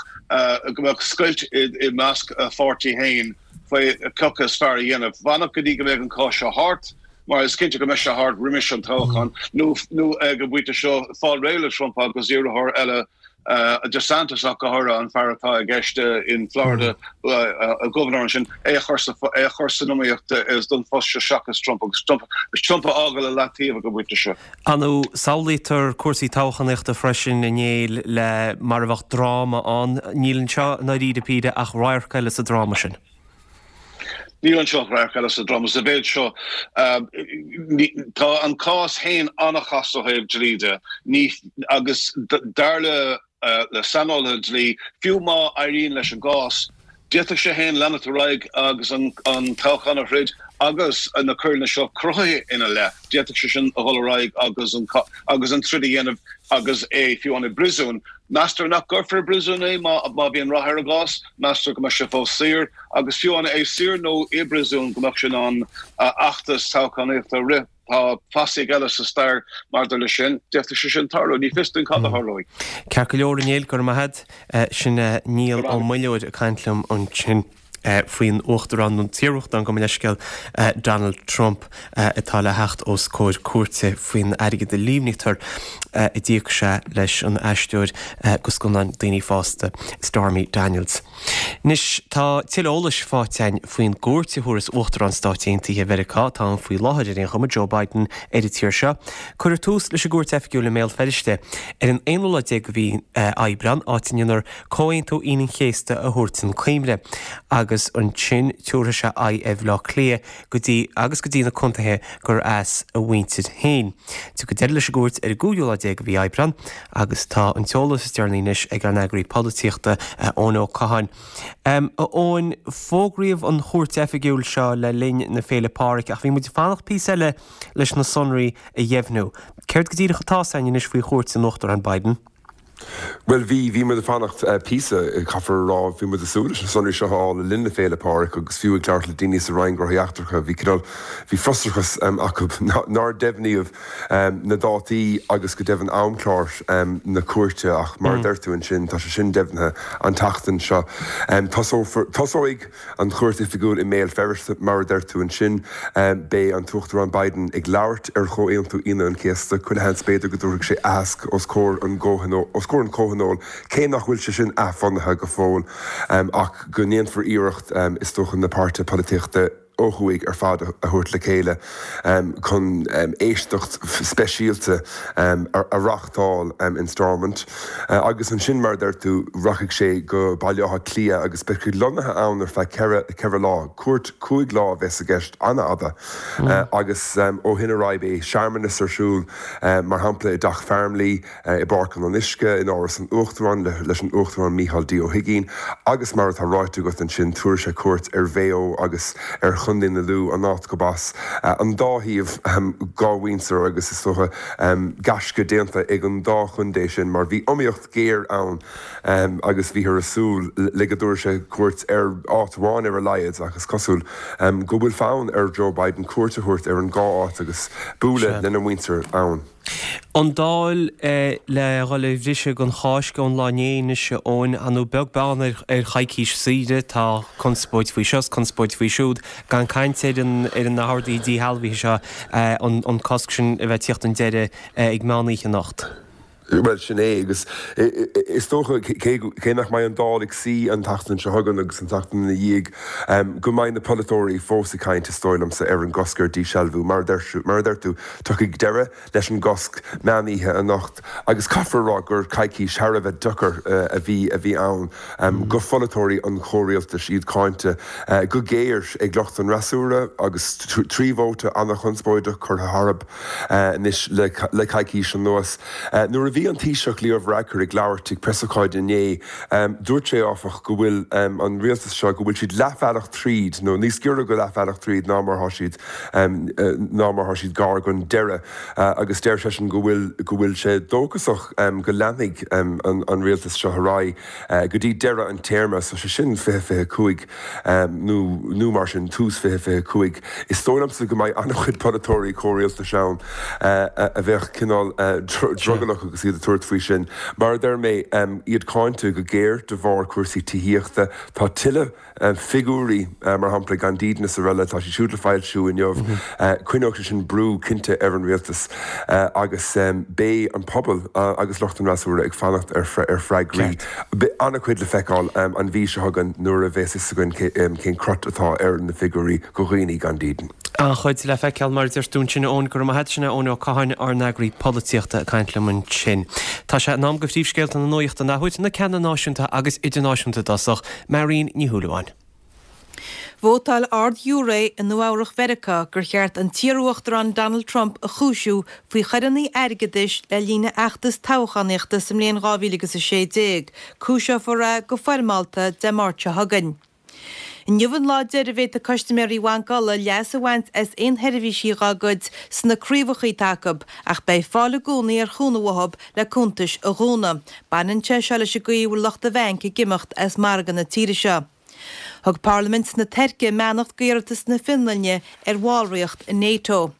go mbeadh scoilt i measc a pháirtí féin faoi cé acu is fearr a dhéanamh. Fanacht go dtí go mbeidh an cás seo thart, mar is cinnte go mbeidh sé thart roimis an toghchán, nó nó ag an bpointe seo fáil réidh le Trump agus iarrthóir eile DeSantis ach go háirithe, an fear atá i gceist in Florida, gobharnóir ansin, é a chur sa é a chur san iomaíocht don phost seo seachas Trump agus Trump Trump a fhágáil i leataobh ag an bpointe seo. Ar ndóigh, samhlaítear cúrsaí toghchánaíochta freisin a Néill le mar a bheadh dráma ann. Níl anseo i ndáiríre píre ach radharc eile sa dráma sin. Níl anseo ach radharc eile sa dráma. Sa mhéid seo, tá an cás féin an-chasta ó thaobh dlí de. Ní, agus dar le le saineolaithe dlí, fiú má éiríonn leis an gcás, d'fhéadfadh sé féin leanacht ar aghaidh agus an toghchán a throid agus na coireanna seo cruthaithe ina leith. D'fhéadfadh sé sin a dhul ar aghaidh agus an agus an troid a dhéanamh agus é fiú amháin i bpríosún. Meastar nach gcuirfear i bpríosún é má má bhíonn rath ar an gcás. Meastar go mbeidh sé fós saor agus fiú amháin é saor nó i bpríosún go mbeadh sé in ann fheachtas toghchánaíochta a rith. Tá fasaigh eile sa stair maidir leis sin. D'fhéadfadh sé sin tarlú. Ní fios dúinn cad a tharlóidh. Ceart go leor, a Néill, go raibh maith agat. Sin Niall Ó Muilleoir ag caint liom ansin faoin Uachtarán, nó an t-iarUachtarán, gabh mo leithscéal, Donald Trump, atá le theacht os comhair cúirte faoin airgead a líomhnaítear a d'íoc sé leis an aisteoir do scannáin daoine fásta, Stormy Daniels. Anois, tá tuilleadh eolais faighte againn faoin gcuairt a thabharfas Uachtarán Stáit Aontaithe Mheiriceá, atá ann faoi láthair ar aon chuma, Joe Biden, ar an tír seo. Cuirfear tús leis an gcuairt oifigiúil i mbÉal Feirste ar an aonú lá déag de mhí Aibreán, áit a ndéanfar Comhaontú Aoine an Chéasta a thabhairt chun cuimhne, agus ansin tabharfaidh sé aghaidh ar Bhaile Átha Cliath go dtí agus go dtí na contaetha gur as a mhuintir féin. Tiocfaidh deireadh leis an gcuairt ar an gcúigiú lá déag de mhí Aibreán. Agus tá an t-eolas is deireanaí anois ag ár n-eagraí polaitíochta, Eoin Ó Catháin. A Eoin, fógraíodh an chuairt oifigiúil seo le linn na Féile Pádraig ach bhí muid ag fanacht píosa eile leis na sonraí a dheimhniú. Céard go díreach atá 's againn anois faoi chuairt an Uachtaráin Biden? Bhuel, bhí, bhí muid ag fanacht píosa, caithfear a rá. Bhí muid ag súil leis na sonraí seo a fháil le linn na Féile Pádraig agus fiú ag labhairt le daoine sa Roinn Gnóthaí Eachtracha, bhí cineál, bhí frustrachas acu nár deimhníodh na dátaí agus go deimhin amchlár na cuairte ach mar a deir tú ansin, tá sé sin deimhnithe an tseachtain seo. Tosófar, tosóidh an chuairt oifigiúil i mBéal Feirste mar a deir tú ansin. Beidh an tUachtarán Biden ag labhairt ar Chomhaontú Aoine an Chéasta. Chuile sheans b'fhéidir go dtabharfaidh sé aitheasc os comhair an os comhair an chomhthionóil, cé nach bhfuil sé sin athbhunaithe go fóill, ach go ndéanfar iarracht is dócha na páirtithe polaitíochta, ó thuaidh ar fad a thabhairt le chéile chun éisteacht speisialta a reáchtáil in Stormont agus ansin, mar a deir tú, rachaidh sé go Baile Átha Cliath agus beidh sé lonnaithe ann ar feadh ceithre lá. Cuairt chúig lá a bheas i gceist, an-fhada, agus ó shin ar aghaidh beidh searmanas ar siúl, mar shampla i dTeach Farmleigh, i bPáirc an Fhionnuisce, in Áras an Uachtaráin leis an Uachtarán Micheál D. Ó hUigínn agus mar atá ráite agat ansin, tabharfaidh sé cuairt ar Mhaigh Eo agus ar Chontae na Lú, an áit gurb as an dá thaobh dhá mhuintir agus is dócha gaisce déanta ag an dá chontae sin mar bhí iomaíocht ghéar ann agus bhíothar ag súil le go dtabharfaidh sé cuairt ar áit amháin ar a laghad ach is cosúil go bhfuil fonn ar Joe Biden cuairt a thabhairt ar an dhá áit agus bualadh lena mhuintir ann. An Dáil le dhul ar bhriseadh don Cháisc ón lá inné anois, a Eoin, ar ndóigh beag beann ar choicís saoire, tá conspóid faoi seo is conspóid faoi siúd, gan caint ar ar na horduithe díshealbhaithe seo, an cosc sin a bheith ag tíocht chun deiridh ag meán oíche anocht. Bhuel, sin é, agus is dócha, cé nach mbeidh an Dáil ag suí an tseachtain seo chugainn agus an tseachtain ina dhiaidh, go mbeidh na polaiteoirí fós ag caint, is dóigh liomsa, ar an gcosc ar díshealbhú. Mar a deir tú, tiocfaidh deireadh leis an gcosc meán oíche anocht agus caithfear a rá gur coicís thar a bheith deacair a bhí a bhí ann go pholaiteoirí an chomhrialtais, iad cáinte go géar ag lucht an fhreasúra agus 3 vóta an-chonspóideach curtha tharthu. Anois le coicís anuas, nuair a bhí an Taoiseach Leo Varadkar ag labhairt ag preasócáid inné, dúirt sé, áfach, go bhfuil an rialtas seo, go bhfuil siad leathbhealach tríd, nó níos giorra go leathbhealach tríd ná mar atá siad, ná mar atá siad gar don deireadh. Agus deir seisean go bhfuil, go bhfuil sé dóchasach go leanfaidh an rialtas seo ar aghaidh go dtí deireadh an téarma, so sé sin 2025 nó nó mar sin, tús 2025. Is dóigh liomsa go mbeidh an-chuid polaiteoirí comhrialtais ann a bheadh cineál drogallach agus iad ag tabhairt faoi sin. Mar a deir mé, iad cáinte go géar de bharr cúrsaí tithíochta. Tá tuilleadh. Figiúirí, mar shampla, gan dídean is araile, tá siad siúd le foilsiú inniu. Coinneoidh sé sin brú cinnte ar an rialtas agus beidh an pobal agus lucht an fhreasúra ag fanacht ar freagraí. Beidh an-chuid le feiceáil an mhí seo chugainn nuair a bheas fhios againn cén crot atá ar na figiúirí go dhaoine gan dídean. An-chuid le feiceáil, mar a deir tú ansin, a Eoin. Go raibh maith agat. Sin é Eoin Ó Catháin, ár n-eagraí polaitíochta, ag caint liom ansin. Tá sé in am go phríomhscéalta na nuachta an athuair, na ceanna náisiúnta agus idirnáisiúnta i dtosach. Marion Ní Shúilleabháin. Vótáil ard-ghiúiré i Nua-Eabhrac Mheiriceá gur cheart an t-iarUachtarán Donald Trump a chúisiú faoi choireanna airgeadais le linn a fheachtas toghchánaíochta sa mbliain 2016. Cúiseofar é go foirmeálta Dé Máirt seo chugainn. Inniu an lá deiridh a bhféadfaidh custaiméirí Bhanc Uladh leas a bhaint as aon sheirbhísí dhá gcuid sna craobhacha atá acu, ach beidh fáil i gcónaí ar chúnamh uathu le cuntais a dhúnadh. Baineann sé seo leis an gcaoi a bhfuil lucht an bhainc ag imeacht as margadh na tíre seo. Thug Parlaimint na Tuirce a mbeannacht d'iarratas na Fionlainne ar bhallraíocht i NATO.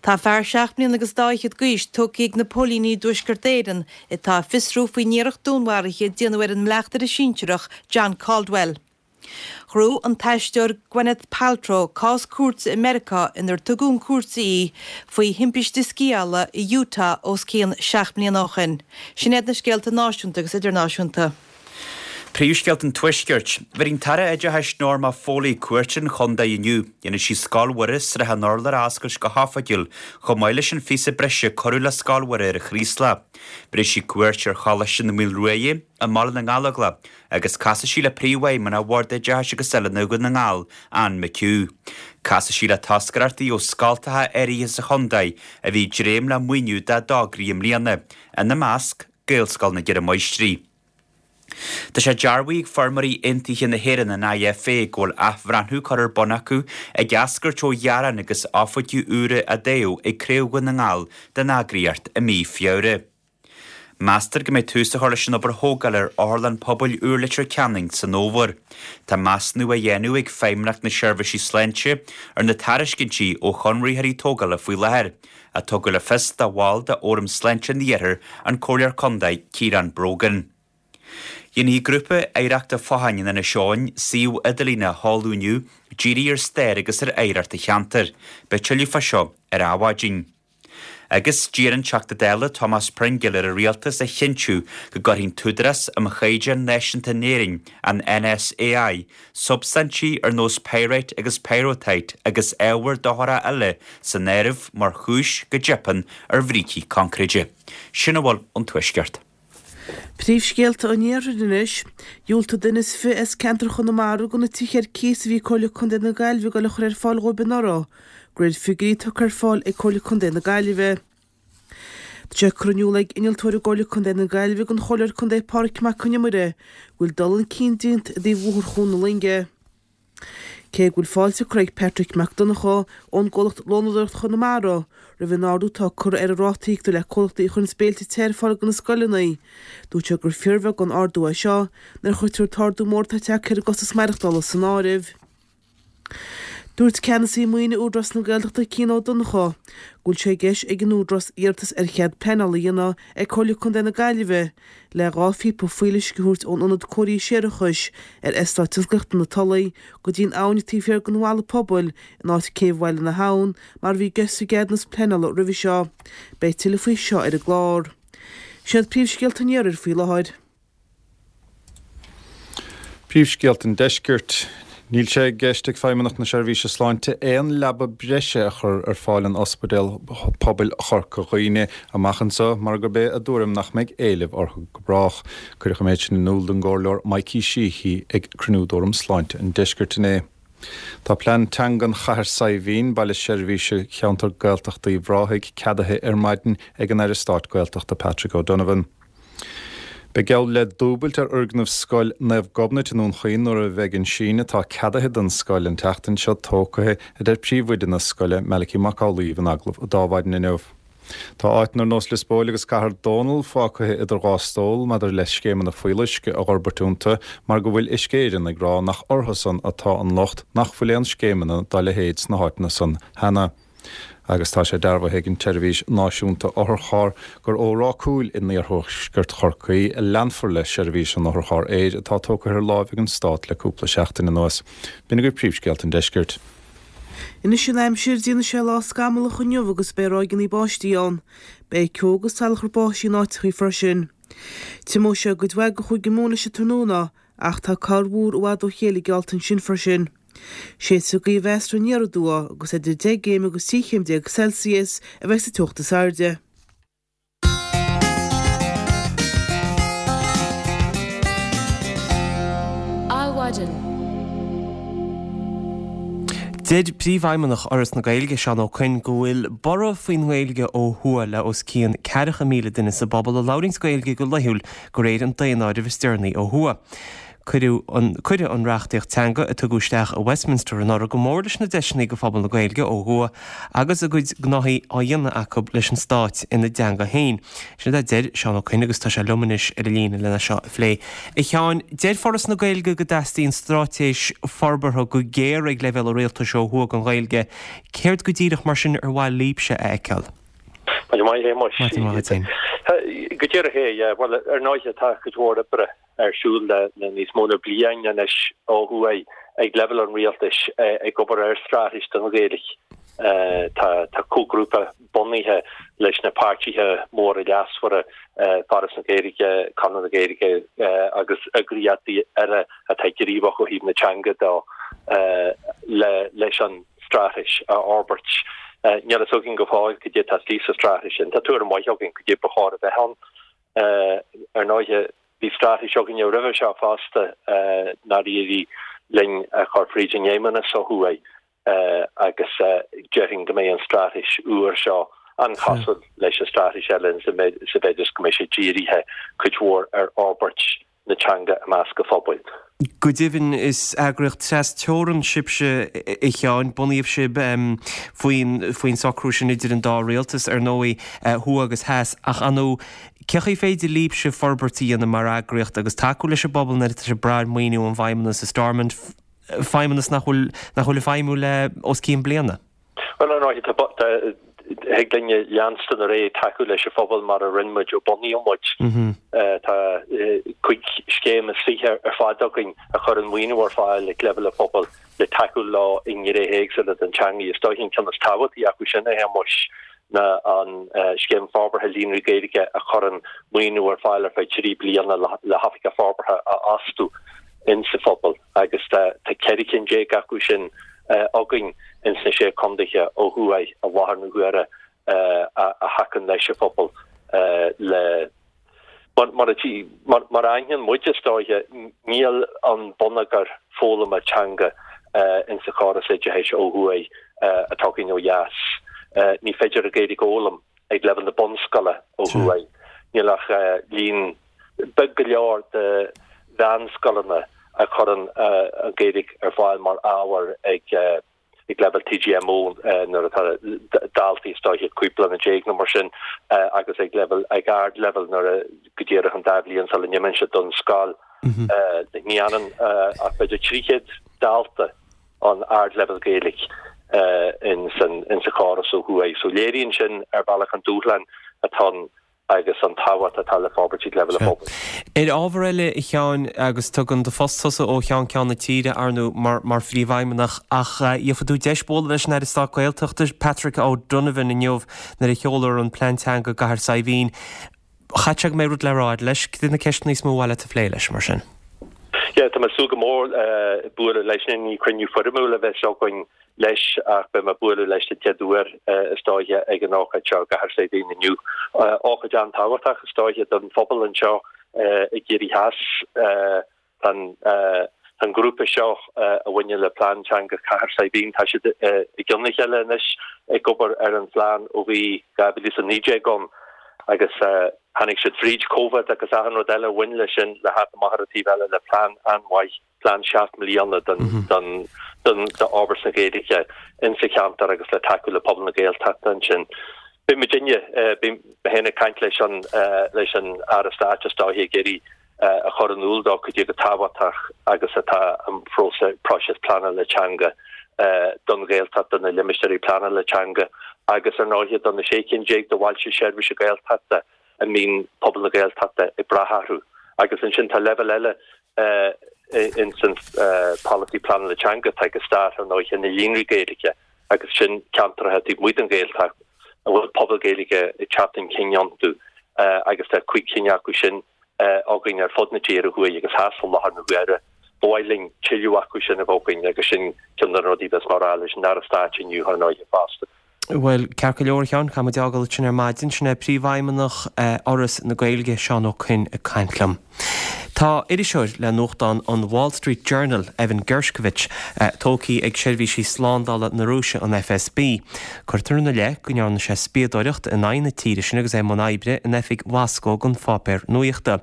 Tá fear seacht mbliana agus dá fhichead d'aois tógtha ag na póilíní i dTuaisceart Éireann atá ag fiosrú faoin iarracht dúnmharaithe a déanadh ar an mbleachtaire sinsearach John Caldwell. Ghnóthaigh an t-aisteoir Gwyneth Paltrow cás cúirte i Meiriceá inar tugadh chun cúirte í faoi thimpiste sciála i Utah os cionn 7 mbliana ó shin. Sin iad na scéalta náisiúnta agus idirnáisiúnta. Príomhscéalta an Tuaiscirt. Bhéarfaidh an tAire Oideachais Norma Foley cuairt ar an chontae inniu. Dhéanfaidh sí Scoil Mhuire, Srath an Urláir a oscailt go hoifigiúil, chomh maith leis an phíosa breise a cuireadh le Scoil Mhuire ar an Chraoslach. Bhéarfaidh sí cuairt ar Choláiste na Maoilruaidhe i mBaile na nGallóglach agus casfaidh sí le Príomhfheidhmeannach Bhord Oideachais agus Oiliúna Dhún na nGall, Anne McHugh. Casfaidh sí le toscaireachtaí ó scoltacha áirithe sa chontae a bhí ag dréim le maoiniú dá dtograí i mbliana, ina measc, Gaelscoil na gCeithre Máistrí. Tá sé dearbhaithe ag Feirmeoirí Aontaithe na hÉireann, an IFA, go bhfuil athbhreathnú curtha ar bun acu ag eascairt ó ghearáin agus oifigigh úra a toghadh ag Craobh Dhún na nGall den eagraíocht i mí Feabhra. Meastar go mbeidh tús á chur leis an obair thógála ar Otharlann Pobail úr Leitir Ceanainn san fhómhar. Tá measúnú á dhéanamh ag Feidhmeannacht na Seirbhísí Sláinte ar na tairiscintí ó chonraitheoirí tógála faoi láthair. a tugadh le fios do bhall de Fhóram Sláinte an Iarthair, an Comhairleoir Contae Ciarán Brogan. Dhéanfaidh Grúpa Oidhreachta Fathain in Inis Eoghain suíomh idirlín a sheoladh inniu, dírithe ar stair agus ar oidhreacht an cheantair. Beidh tuilleadh fá seo ar Adhmhaidin. Agus d'iarr an Teachta Dála Tomás Pringle ar an Rialtas a chinntiú go gcuirfidh an tÚdarás um Chaighdeáin Náisiúnta in Éirinn, an NSAI, substaintí ar nós pyrite agus pyrrhotite agus ábhar dochrach eile san áireamh mar chúis go dteipeann ar bhrící coincréide. Sin a bhfuil ón Tuaisceart. Príomhscéalta an Iarthair anois. Dhiúltaigh duine is fi as ceantar Chonamara do na tithe ar cíos a bhí Comhairle Contae na Gaillimhe ag dul a chur ar fáil dhóibh anuraidh, de réir figiúirí tugtha ar fáil ag Comhairle Contae na Gaillimhe. Tá sé curtha in iúl ag Innealtóir i gComhairle Contae na Gaillimhe don Chomhairleoir Contae Pádraic Mac Con Iomaire go bhfuil dul chun cinn déanta i dtaobh Bhóthar Chuan na Loinge. Cé go bhfuil fáilte curtha ag Patrick Mac Donncha ón gcomhlacht Lónadóireacht Chonamara roimh an ardú atá curtha ar an ráta a íoctar le comhlachtaí a chuireanns béilte te ar fáil do na scoileanna, dúirt sé gur fíorbheag an ardú é seo nuair a chuirtear an t-ardú mór atá tagtha ar an gcostas maireachtála san áireamh. Dúirt Ceannasaí Maoine Údarás na Gaeltachta Cian Ó Donnchadha go bhfuil sé i gceist ag an Údarás iarratas ar chead pleanála a dhéanamh ag Comhairle Contae na Gaillimhe le 2 phíopa fuíolluisce a thabhairt ón Ionad Cóirithe Séarachais ar Eastát Tionsclaíochta na Tulaí go dtí an abhainn taobh thiar den bhalla pobail in áit Céibh Bhaile na hAbhann mar a bhí i gceist sa gceadúnas pleanála roimhe seo. Beidh tuilleadh faoi seo ar an gclár. Sin iad príomhscéalta an iarthair faoi láthair. Príomhscéalta an Deiscirt. Níl sé i gceist ag Feidhmeannacht na Seirbhíse Sláinte aon leaba breise a chur ar fáil in Ospidéal Pobail Chorca Dhuibhne amach anseo mar gurb é a dtuairim nach mbeidh éileamh orthu go brách. Cuireadh an méid sin in iúl don gComhairleoir Mikey Sheehy ag cruinniú d'Fhóram Sláinte an Deiscirt inné. Tá plean teangan Chathair Saidhbhín, baile seirbhíse cheantar Gaeltachta Uíbh Ráthaigh, ceadaithe ar maidin ag an Aire Stáit Gaeltachta Patrick O'Donovan. Beidh geall le dúbailt ar fhoirgneamh Scoil Naomh Gobnait i nDún Chaoin nuair a bheidh an síneadh atá ceadaithe don scoil an tseachtain seo tógtha, a deir príomhoide na scoile, Malachy Mac Amhlaoibh in agallamh d'Adhmhaidin inniu. Tá áiteanna ar nós Lios Póil agus Cathair Dónall fágtha idir dhá stól maidir le scéimeanna fuíolluisce a dh'fhorbairt iontu mar go bhfuil Uisce Éireann ag rá nach orthu san atá an locht nach bhfuil aon scéimeanna dá leithéid sna háiteanna san cheana. Agus tá sé dearbhaithe ag an tSeirbhís Náisiúnta Otharcharr gur ó Ráth Cúil in iarthuaisceart Chorcaí a leanfar le seirbhís an otharchairr aeir atá tógtha ar láimh ag an Stát le cúpla seachtain anuas. B'in agaibh príomhscéalta an deiscirt. Anois an aimsir, déanfaidh sé lá scamallach inniu agus beidh ráigeanna báistí ann. Beidh ceo agus salachar báistí in áiteachaí freisin. Tiomóidh sé i gcuid mhaith de Chúige Mumhan leis an tráthnóna ach tá corrmhúr i bhfad ó chéile geallta ansin freisin. Séidfidh gaoth mheasartha aniar aduaidh agus idir 10 gcéim agus 13 chéim Celsius a bheidh sa teocht is airde. Adhmhaidin. Deir Príomhfheidhmeannach Fhoras na Gaeilge, Seán Ó Coinn, go bhfuil borradh faoin nGaeilge ó thuaidh le os cionn ceathracha 1,000 duine sa bpobal a labhraíonns Gaeilge go laethúil de réir an daonáirimh is deireanaí ó thuaidh. Cuireadh an Cuireadh an reachtaíocht teanga a tugadh isteach i Westminster anuraidh go mór leis na deiseanna do phobal na Gaeilge ó thuaidh agus a gcuid gnóthaí á dhéanamh acu leis an Stát ina dteanga féin. Sin a deir Seán Ó Coinn agus tá sé liom anois ar an líne lena seo a phlé. A Sheáin, deir Foras na Gaeilge go dteastaíonn straitéis forbartha go géar ag leibhéal an rialtais ó thuaidh don Ghaeilge. Céard go díreach mar sin ar mhaith libhse a fheiceáil? Maidin mhaith, a Shéamuis. Maidin mhaith duit féin. Go díreach é, yeah. Bhuel, ar ndóighe, tá cuid mhór oibre ar siúl le níos mó ná bliain anois ó thuaidh ag leibhéal an rialtais ag obair ar straitéis don Ghaeilge. Tá comhghrúpa bunaithe leis na páirtithe móra leasmhara, Foras na Gaeilge, Conradh na Gaeilge agus eagraíochtaí eile atá gníomhach ó thaobh na teanga de, leis an straitéis a fhorbairt. Níl a fhios againn go fóill cad é atá istigh sa straitéis sin. Tá tuairim mhaith againn cad é ba chóir a bheith ann. Ar ndóighe, bhí straitéis againne roimhe seo fosta nár éirigh linn a chur fríd an bhFeidhmeannas ó thuaidh agus déarfainn go mbeidh an straitéis úr seo an-chosúil leis an straitéis eile sa mhéid is go mbeidh sé dírithe cuid mhór ar fhorbairt na teanga i measc an phobail. Go deimhin, is eagraíocht tras-teorann sibhse, a Sheáin. Bunaíodh sibh faoin faoin socrú sin idir an dá rialtas, ar ndóigh, thuaidh agus theas. Ach ar ndóigh, cé chaoi féidir libhse forbairt a dhéanamh mar eagraíocht agus tacú leis an bpobal nuair atá sibh ag brath ar mhaoiniú ón bhFeidhmeannas i Stormont, feidhmeannas nach bhfuil nach bhfuil ag feidhmiú le os cionn bliana? Bhuel, ar ndóigh, thig linne leanstan ar aghaidh ag tacú leis an phobal mar a rinne muid ó bunaíodh muid. Tá 25 scéim ar fad againn a chuireann maoiniú ar fáil ag leibhéal an phobail le tacú leo i ngnéithe éagsúla den teanga. Is dóiche an ceann is tábhachtaí acu sin, a Shéamuis, ná an Scéim Forbartha Líonraí Gaeilge a chuireann maoiniú ar fáil ar feadh 3 bliana le hoifigeach forbartha a fhostú insa phobal agus tá 14 cinn acu sin againn ins na Sé Contaetha ó thuaidh i láthair na huaire a thacann leis an phobal le Mar mar a aithníonn muid is dóiche níl an bonneagar foghlama teanga insa chóras oideachais ó thuaidh atá againn ó dheas. Ní féidir an Ghaeilge a fhoghlaim ag leibhéal na bunscoile ó thuaidh. Níl ach líon beag go leor de mheánscoileanna a chuireann an Ghaeilge ar fáil mar ábhar ag ag leibhéal TGMO nuair atá daltaí is dóiche 15 bliana nó mar sin agus ag leibhéal ag ardleibhéal nuair a go díreach an dá bhliain sula n-imíonn siad don scoil. Ní fhanann ach b'fhéidir 300 dalta an ardleibhéal Gaeilge in sa chóras ó thuaidh. So léiríonn sin ar bhealach an dúshlán atá ann agus an tábhacht atá le forbairt ag leibhéal an phobail. Ar ábhar eile, a Sheáin, agus tugann do phost tusa ó cheann ceann na tíre, ar ndóigh, mar mar phríomhfheidhmeannach, ach gheobhaidh tú deis bualadh leis an Aire Stáit Gaeltachta, Patrick O'Donovan, inniu nuair a sheolfar an plean teanga i gCathair Saidhbhín. Chaithfeadh sé go mbeidh rud le rá agat leis. Cad iad na ceisteanna is mó ar mhaith leat a phlé leis, mar sin? Yeah, tá mé ag súil go mór bualadh leis. Ní cruinniú foirmiúil a bheas againn leis ach beidh mé ag bualadh leis den chéad uair is dóiche ag an ócáid seo i gCathair Saidhbhín inniu. Ócáid an-tábhachtach is dóiche don phobal anseo i gCiarraí Theas. Tá an grúpa seo a bhaineann le Plean Teanga Chathair Saidhbhín, tá siad i gcionn a chéile anois ag obair ar an phlean ó bhí 2019 ann agus tháinig siad fríd Covid agus achan rud eile a bhain leis sin le theacht amach ar an taobh eile le plean an-mhaith, plean 7 mbliana don d'fhorbairt na Gaeilge insa cheantar agus le tacú le pobal na Gaeltachta ansin. Beidh muidinne, beidh mé féin ag caint leis an leis an Aire Stáit is dóiche ag iarraidh a chur in iúl dó cad é chomh tábhachtach agus atá an próiseas pleanála teanga don Ghaeltacht, do na limistéirí pleanála teanga agus ar ndóighe do na 16 cinn de bhailte seirbhíse Gaeltachta a mbíonn pobal na Gaeltachta ag brath orthu. Agus ansin tá leibhéal eile ins an polasaí pleanála teanga atá ag an Stát ar ndóighe, na líonraí Gaeilge agus sin ceantracha taobh amuigh den Ghaeltacht a bhfuil pobal Gaeilge ag teacht chun cinn iontu agus tá 5 cinn acu sin againn ar fud na tíre thuaidh agus theas i láthair na huaire. Ba mhaith linn tuilleadh acu sin a bheith againn agus sin ceann de na rudaí a bheas mé a rá leis an Aire Stáit inniu ar ndóighe fosta. Bhuel, ceart go leor, a Sheáin, caithfidh muid é a fhágáil ansin ar maidin. Sin é Príomhfheidhmeannach Fhoras na Gaeilge, Seán Ó Coinn, ag caint liom. Tá iriseoir le nuachtán an Wall Street Journal, Evan Gershkovich, tógtha ag seirbhísí slándála na Rúise, an FSB. Cuirtear ina leith go ndearna sé spiadóireacht in aghaidh na tíre sin agus é i mbun oibre in oifig Mhoscó don pháipéar nuachta.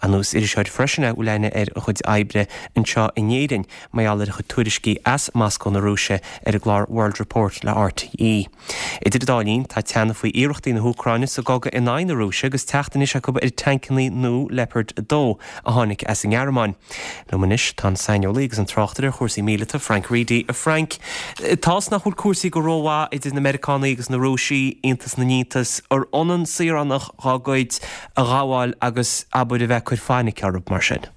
Ar ndóigh is iriseoir freisin é a bhfuil aithne ar a chuid oibre anseo in Éirinn mar gheall ar a chuid tuairiscí as Moscó na Rúise ar an gclár World Report le RTÉ. Idir an dá linn, tá teannadh faoi iarrachtaí na hÚcráine sa gcogadh in aghaidh na Rúise agus teacht anois acu ar tancannaí nua Leopard 2 a tháinig as an nGearmáin. Liom anois tá an saineolaí agus an tráchtaire ar chúrsaí míleata, Frank Reidy. A Frank, tá's nach bhfuil cúrsaí go rómhaith idir na Meiriceánaigh agus na Rúisigh, iontas na n-iontas, ar ionann saoránach dhá gcuid a ghabháil agus, abair, a bheith ag cur fainic orthu mar sin?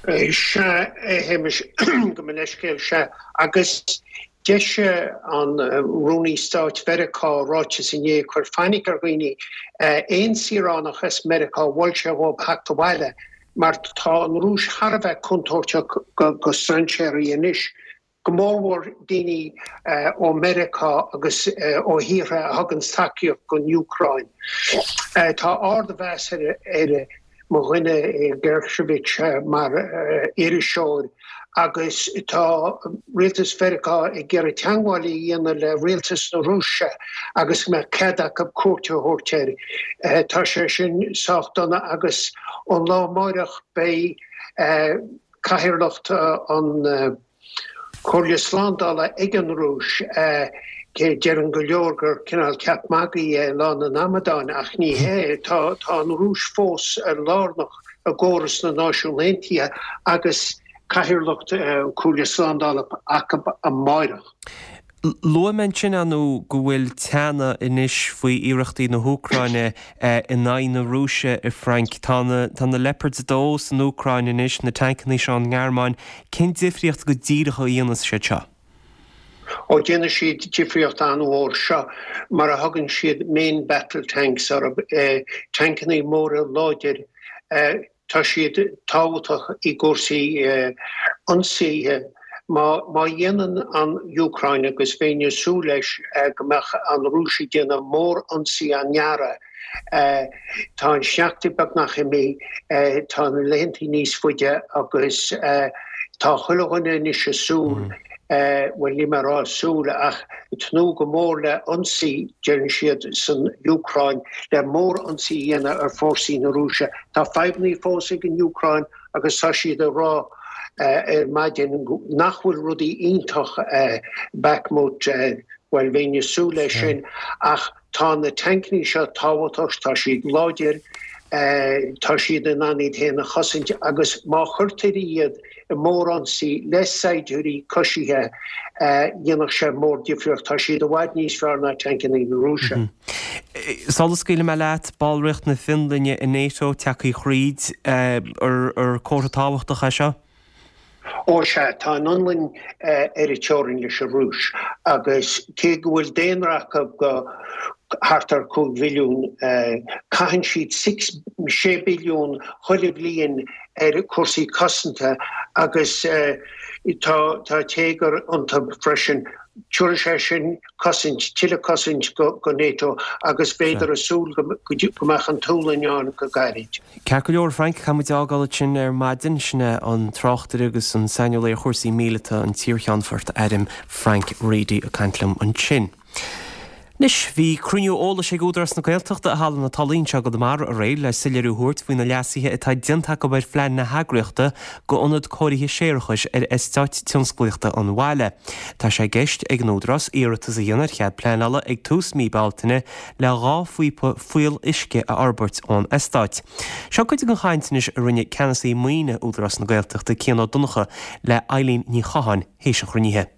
Sea, a Shéamais, gabh mo leithscéal, sea. Agus d'eisigh an Rúnaí Stáit Mheiriceá ráiteas inné ag cur fainic ar dhaoine. Aon saoránach as Meiriceá, mhol sé dhóibh theacht abhaile mar tá an Rúis thar a bheith contúirteach go strainséirí anois, go mórmhór daoine ó Meiriceá agus ó thíortha a thuganns tacaíocht don Úcráin. Tá ardmheas ar mo dhuine Gershkovich mar iriseoir agus tá rialtas Mheiriceá ag iarraidh teagmháil a dhéanamh le rialtas na Rúise agus go mbeadh cead acu cuairt a thabhairt air. Tá sé sin sách dona agus ón lá amáireach beidh cathaoirleacht an Chomhairle Slándála ag an Rúis. Deireann go leor gur cineál ceap magaidh é Lá na nAmadán, ach ní hea. Tá an Rúis fós lárnach i gcóras na Náisiún Aontaithe agus cathaoirleacht an Chomhairle Slándála acu amáireach. Luaigh mé ansin, ar ndóigh, go bhfuil teannadh anois faoi iarrachtaí na hÚcráine in aghaidh na Rúise, a Frank. Tá na, tá na Leopards 2 san Úcráin anois, na tancannaí seo ón nGearmáin. Cén difríocht go díreach a dhéanfas siad seo? Ó, déanfaidh siad difríocht an-mhór. Seo mar a thugann siad main battle tanks orthu, tancannaí móra láidir. Tá siad tábhachtach i gcúrsaí ionsaithe. Má dhéanann an Úcráin, agus bheinn ag súil leis go mbeadh an Rúis ag déanamh mór-ionsaí an earraigh, tá an sneachta beagnach imithe, tá na laethantaí níos faide agus tá chuile dhuine anois ag súil, bhuel níl mé ag rá súil ach ag tnúth go mór le ionsaí, deireann siad san Úcráin, le mór-ionsaí a dhéanamh ar fórsaí na Rúise. Tá fadhbannaí fós ag an Úcráin agus tá siad ag rá ar maidin nach bhfuil rudaí iontach i Bakhmut, bhuel bheinn ag súil leis sin ach tá na tancannaí seo tábhachtach, tá siad láidir, tá siad in ann iad féin a chosaint agus má chuirtear iad i mórionsaí le saighdiúirí coisithe, dhéanfadh sé mórdhifríocht. Tá siad i bhfad níos fearr ná tancannaí na Rúise. Sula scaoilfidh mé leat, ballraíocht na Fionlainne i NATO tagtha thríd, ar comhartha tábhachtach é seo? Ó sea, tá an Fhionlainn ar an teorainn leis an Rúis agus cé go bhfuil daonra acu go thart ar 5 mhilliún. Caitheann siad six, 6 billiún chuile bhliain ar chúrsaí cosanta agus tá tá téagar iontu freisin. Tabharfaidh sé sin cosaint, tuilleadh cosaint go NATO agus bhíodar ag súil go mbeadh an tSualainn ann go gairid. Ceart go leor, Frank, caithfidh muid a fhágáil ansin ar maidin. Sin é an tráchtaire agus an saineolaí ar chúrsaí míleata, an t-iarcheannfort airm Frank Reidy ag caint liom ansin. Anois, bhí cruinniú eolais ag Údarás na Gaeltachta i Halla na Tulaí anseo i gConamara aréir le soiléiriú a thabhairt faoi na leasuithe atá déanta acu ar phlean na heagraíochta go ionad cóirithe séarachais ar Eastát Tionsclaíochta an bhaile. Tá sé i gceist ag an Údarás iarratas a dhéanamh ar chead pleanála ag tús mí Bealtaine le 2 phíopa fuíoll-uisce a fhorbairt ón eastát. Seo cuid den chaint anois a rinne Ceannasaí Maoine Údarás na Gaeltachta, Cian Ó Donnchadha, le Eileen Ní Chatháin théis an chruinnithe.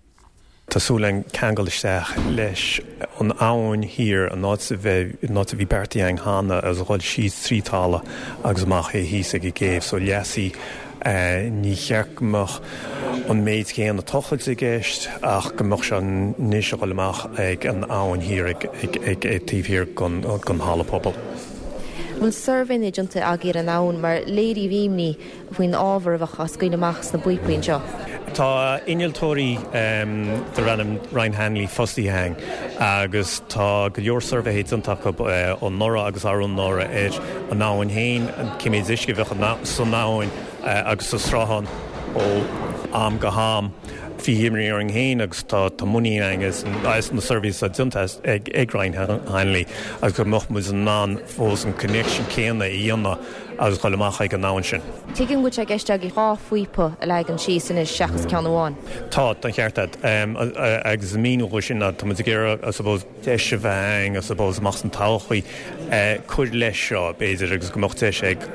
Tá súil againn ceangal isteach leis an abhainn thiar, an áit a bheidh, an áit a bhí beartaithe againn cheana agus a dhul síos trí talamh agus amach é thíos ag an gcéibh. So leasaithe, ní cheart go mbeadh an méid céanna tochailt i gceist ach go mbeadh sé anois a dhul amach ag an abhainn thiar ag, ag, ag, ag taobh thiar den, den halla pobail. Bhfuil suirbhéanna déanta agaibh ar an abhainn mar léiríodh imní faoin ábhar a bheadh á scaoileadh amach sna bpíopaí anseo. Tá innealtóirí darb ainm Ryan Hanley fostaithe againn agus tá go leor suirbhéithe déanta acu anuraidh agus arú anuraidh ar an abhainn féin, cé méid uisce a bheadh san abhainn agus sa sruthán ó am go ham. Bhí imní orainn féin agus tá muinín againn as na suirbhéithe atá déanta ag Ryan Hanley agus go mbeadh muid in ann fós an connection céanna a dhéanamh agus dhul amach ag an abhainn sin. Tuigim go bhfuil sé i gceist agaibh 2 phíopa a leagan síos anois seachas ceann amháin. Tá, tá an ceart agat. Agus an míniú dhó sin ná tá muid ag iarraidh, I suppose, deis a bheith againn, I suppose, amach san todhchaí cur leis seo, b'fhéidir, agus go mbeadh deis ag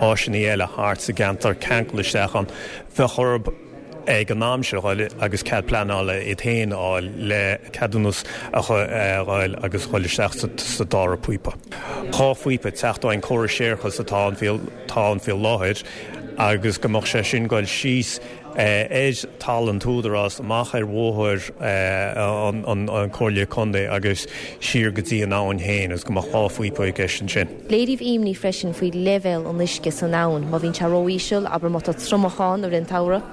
áiseanna eile thart sa gceantar ceangal isteach ann. Bheadh orthu ag an am seo dhul agus cead pleanála iad féin a fháil le ceadúnas a fháil agus dhul isteach sa dara píopa. 2 phíopa ag teacht ón córas séarachais atá ann atá ann faoi láthair agus go mbeadh sé sin dhul síos ar talamh an t-údarás amach ar bhóthar an Comhairle Contae agus siar go dtí an abhainn féin agus go mbeadh 2 phíopa i gceist ansin. Léiríodh imní freisin faoi leibhéal an uisce san abhainn má bhíonn sé ró-íseal, abair má tá triomach ann i rith an tsamhraidh.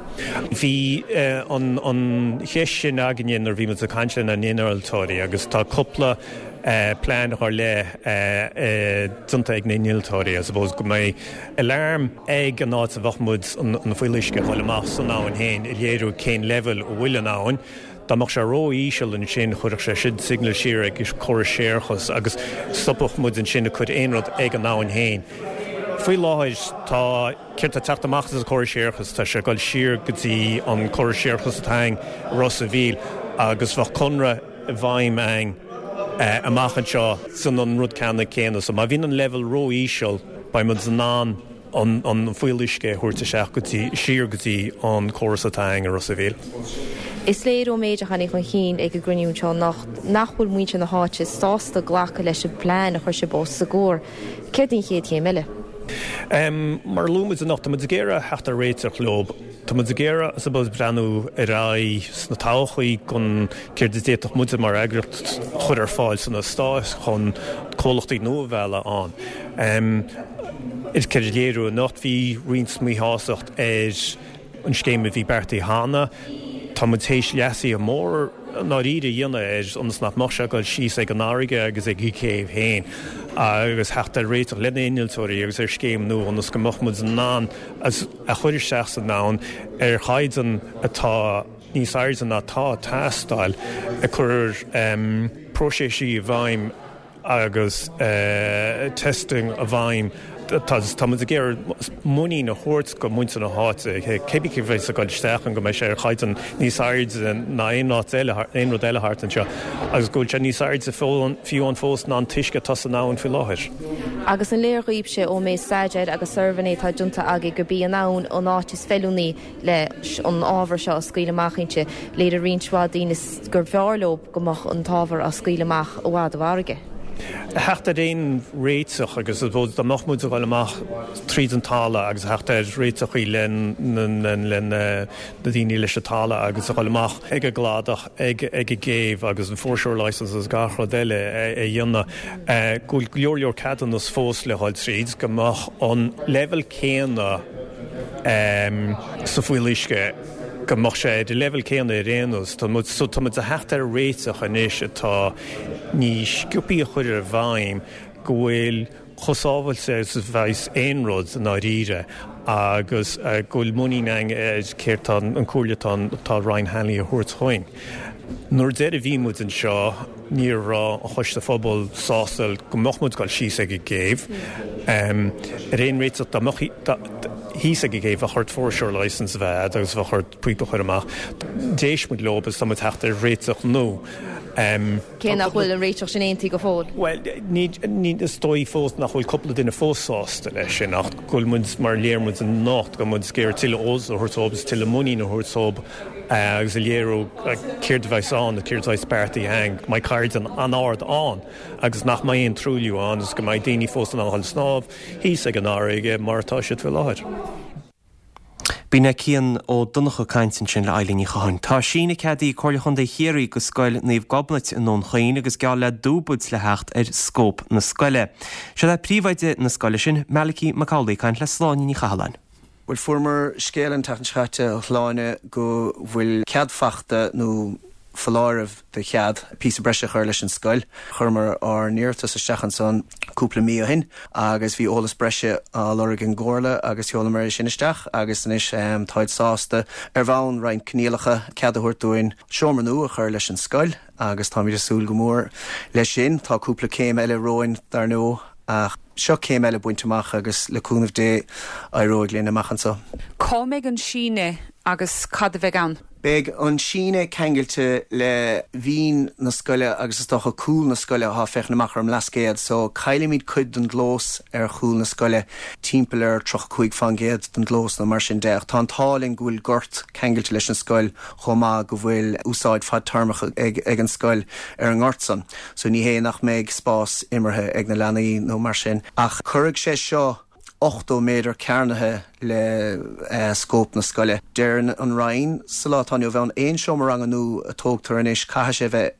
Bhí an cheist sin againne nuair a bhí muid ag caint lena n-innealtóirí agus tá cúpla plean ar leith déanta ag na hinnealtóirí, I suppose, go mbeidh alarm ag an áit a bheadh muid an fuíolluisce a dhul amach san abhainn féin a léiriú cén leibhéal a bhfuil an abhainn. Dá mbeadh sé ró-íseal ansin chuirfeadh sé sin signal siar ag córas séarachais agus stopfadh muid ansin ag cur aon rud ag an abhainn féin. Faoi láthair tá, céard tá ag teacht amach as an córas séarachais, tá sé ag dul siar go dtí an córas séarachais atá againn i Ros a' Mhíl agus bheadh conradh i bhfeidhm againn amach anseo san an rud ceannann céanna. So má bhíonn an leibhéal ró-íseal beidh muid in ann an fuíolluisce a thabhairt isteach go dtí, siar go dtí an córas atá againn i Ros a' Mhíl. Is léir ón méid a tháinig chun cinn ag an gcruinniú anseo anocht nach bhfuil muintir na háite sásta glacadh leis an bplean a chuir sibh os a gcomhair. Céard í an chéad chéim eile? Mar a luaigh muid anocht, tá muid ag iarraidh theacht ar réiteach leo. Tá muid ag iarraidh, I suppose, breathnú ar aghaidh sna todhchaí gon céard a d'fhéadfadh muide mar eagraíocht chur ar fáil san eastát chun comhlachtaí nua a mhealladh ann. Is céard a léiriú anocht, bhí roinnt míshástacht ar an scéim a bhí beartaithe cheana. Tá muid théis leasuithe mór i ndáiríre a dhéanamh air ionas nach mbeadh sé ag dul síos ag an fharraige agus ag an gcéibh féin agus theacht ar réiteach le na innealtóirí agus ar scéim nua ionas go mbeadh muid in ann a chur isteach san abhainn ar chaighdeán atá níos airde ná atá ag teastáil, ag cur próiseas i bhfeidhm agus testing i bhfeidhm. Tá muid ag iarraidh muinín a thabhairt go muintir na háite, cébí cé bheas ag dul isteach ann, go mbeidh sé ar chaighdeán níos airde ná aon áit eile, aon rud eile thart anseo agus go bhfuil sé níos airde fiú ann fós ná an t-uisce atá san abhainn faoi láthair. Agus an léir dhaoibhse ón méid staidéir agus suirbhéanna atá déanta agaibh gurb í an abhainn an áit is feiliúnaí leis an ábhar seo a scaoileadh amach inti, léirigh roinnt mhaith daoine gur bhfearr leo go mbeadh an t-ábhar á scaoileadh amach i bhfad ó fharraige. A theacht ar aon réiteach agus I suppose dá mbeadh muid ag dul amach tríd an talamh agus a theacht ar réiteachaí le na daoine leis an talamh agus a dhul amach ag an gcladach, ag an gcéibh agus an foreshore licence agus gach rud eile a dhéanamh, go bhfuil go leor leor ceadúnas fós le dhul tríd, go mbeadh an leibhéal céanna sa fuíolluisce, go mbeadh sé ar an leibhéal céanna ar aon nós. Tá muid, so tá muid a theacht ar réiteach anois atá níos sciobthaí a chur i bhfeidhm, go bhfuil chomh sábháilte is a bheas aon rud i ndáiríre agus go bhfuil muinín againn ar céard tá an comhairle atá atá Roinn Hanley a thabhairt chugainn. Nuair deireadh a bhí muid anseo ní raibh an Choiste Phobail sásta go mbeadh muid ag dul síos ag an gcéibh. Ar aon réiteach dá mbeadh thíos ag an gcéibh bheadh ort foreshore licence a bheith agat agus bheadh ort píopa a chur amach. D'éist muid leo agus tá muid ag teacht ar réiteach nua. Cé nach bhfuil an réiteach sin aontaithe go fóill. Bhuel, ní, ní, is dóigh fós nach bhfuil cúpla duine fós sásta leis sin ach go bhfuil muid, mar a léirigh muid anocht, go bhfuil muid ag iarraidh tuilleadh eolas a thabhairt dóibh agus tuilleadh muinín a thabhairt dóibh agus a léiriú céard a bheas ann, céard a bheas beartaithe againn, go mbeidh caighdeán an-ard ann agus nach mbeidh aon truailliú ann agus go mbeidh daoine fós in ann a dhul snámh thíos ag an fharraige mar atá siad faoi láthair. B'in é Cian Ó Donnchadha ag caint ansin le Eilín Ní Chatháin. Tá síneadh ceadaithe ag Comhairle Chontae Chiarraí go Scoil Naomh Gobnait i nDún Chaoin agus geall le dúbailt le theacht ar scóip na scoile. Seo é príomhoide na scoile sin, Malachy Mac Amhlaigh ag caint le Sláine Ní Chathalláin. Bhuel, fuaireamar scéal an tseachtain seo caite, a Shláine, go bhfuil cead fachta nó foláireamh de chead píosa breise a chur leis an scoil. Chuireamar ár n-iarratas isteach ansan cúpla mí ó shin agus bhí eolas breise á lorg ag an gComhairle agus sheolamar é sin isteach agus anois táid sásta, ar bhonn roinnt coinníollacha, cead a thabhairt dúinn seomra nua a chur leis an scoil agus táimid ag súil go mór leis sin. Tá cúpla céim eile romhainn dar ndóigh ach seo céim eile bainte amach agus le cúnamh Dé éireoidh linn amach anso. Cá mbeidh an síneadh agus cad a bheidh ann? Beidh an síneadh ceangailte le bhinn na scoile agus is dócha cúl na scoile atá ag féachaint amach ar an mBlascaod so caillfimid cuid den gclós ar chúl na scoile, timpeall ar 35 fán gcéad den gclós nó mar sin de ach tá an t-ádh linn go bhfuil gort ceangailte leis an scoil chomh maith go bhfuil úsáid fadtéarmach ag an scoil ar an ngort san so ní hé nach mbeidh spás imeartha ag na leanaí nó mar sin ach cuirfidh sé seo 80 méadar cearnaithe le scóip na scoile. Deir an Roinn sa lá atá inniu ann, aon seomra ranga nua a tógtar anois caithfidh sé bheith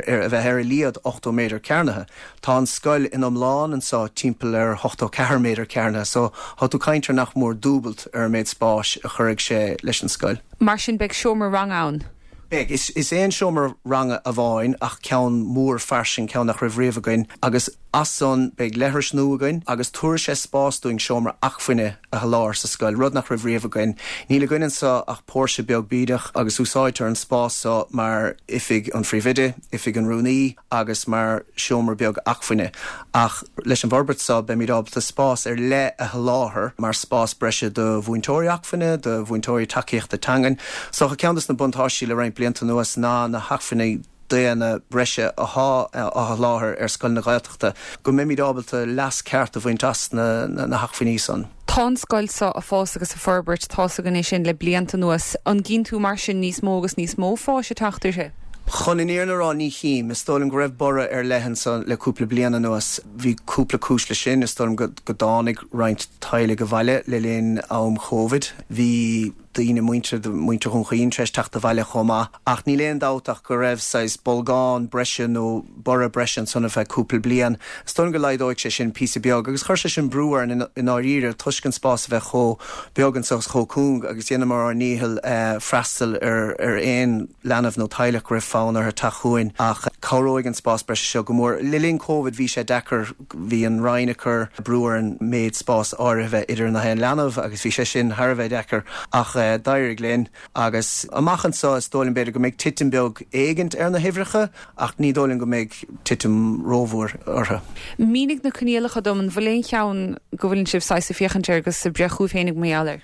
ar a bheith ar a laghad 80 méadar cearnaithe. Tá an scoil in iomlán anseo timpeall ar 84 méadar cearnaithe so tá tú caint ar nach mór dúbailt ar an méid spáis a chuirfidh sé leis an scoil. Mar sin beidh seomra ranga ann? Beidh. Is aon seomra ranga amháin ach ceann mór fairsing, ceann nach raibh riamh againn agus as san beidh leithris nua againn agus tabharfaidh sé spás dúinn seomra acmhainne a sholáthar sa scoil, rud nach raibh riamh againn. Níl againn anseo ach póirse beag bídeach agus úsáidtear an spás seo mar oifig an phríomhoide, oifig an rúnaí, agus mar seomra beag acmhainne, ach leis an bhforbairt seo beimid ábalta spás ar leith a sholáthar mar spás breise do mhúinteoirí acmhainne, do mhúinteoirí tacaíochta teangan. So ceann de na buntáistí le roinnt blianta anuas ná na hacmhainní daonna breise athá á sholáthar ar scoileanna Gaeltachta, go mbeimid ábalta leas ceart a bhaint as na hacmhainní san. Tá an scoil seo ag fás agus ag forbairt, tá's againn é sin le blianta anuas. An gcíonn tú mar sin níos mó agus níos mó fáis ag teacht uirthi? Chun an fhírinne a rá, ní chím. Is dóigh liom go raibh borradh ar leith anso le cúpla bliain anuas. Bhí cúpla cúis leis sin. Is dóigh liom go dtáinig roinnt teaghlaigh abhaile le linn am Chóvid. Bhí daoine, muintir, muintir Dhún Chaoin tar éis teacht abhaile chomh maith. Ach níl aon dabht ach go raibh saghas bolgán breise nó borradh breise ansan ar feadh cúpla bliain. Is dóigh liom go laghdóidh sé sin píosa beag agus chuir sé sin brú orainn i ndáiríre toisc an spás a bheith chomh beag anso agus chomh cúng agus dheineamar ár ndícheall freastal ar ar aon leanbh nó teaghlach go raibh fonn orthu teacht chugainn ach cabhróidh an spás breise seo go mór. Le linn Covid bhí sé deacair, bhí an Roinn ag cur brú orainn méid spáis áirithe a bheith idir na haon leanbh agus bhí sé sin thar a bheith deacair ach d'éirigh linn. Agus amach anseo, is dóigh liom, b'fhéidir go mbeidh titim beag éigint ar na huimhreacha, ach ní dóigh liom go mbeidh titim rómhór orthu. Mínigh na coinníollacha dom, an bhfuil aon cheann go bhfuileann sibh saghas ag féachaint air agus ag breith chugaibh féinig mar gheall air?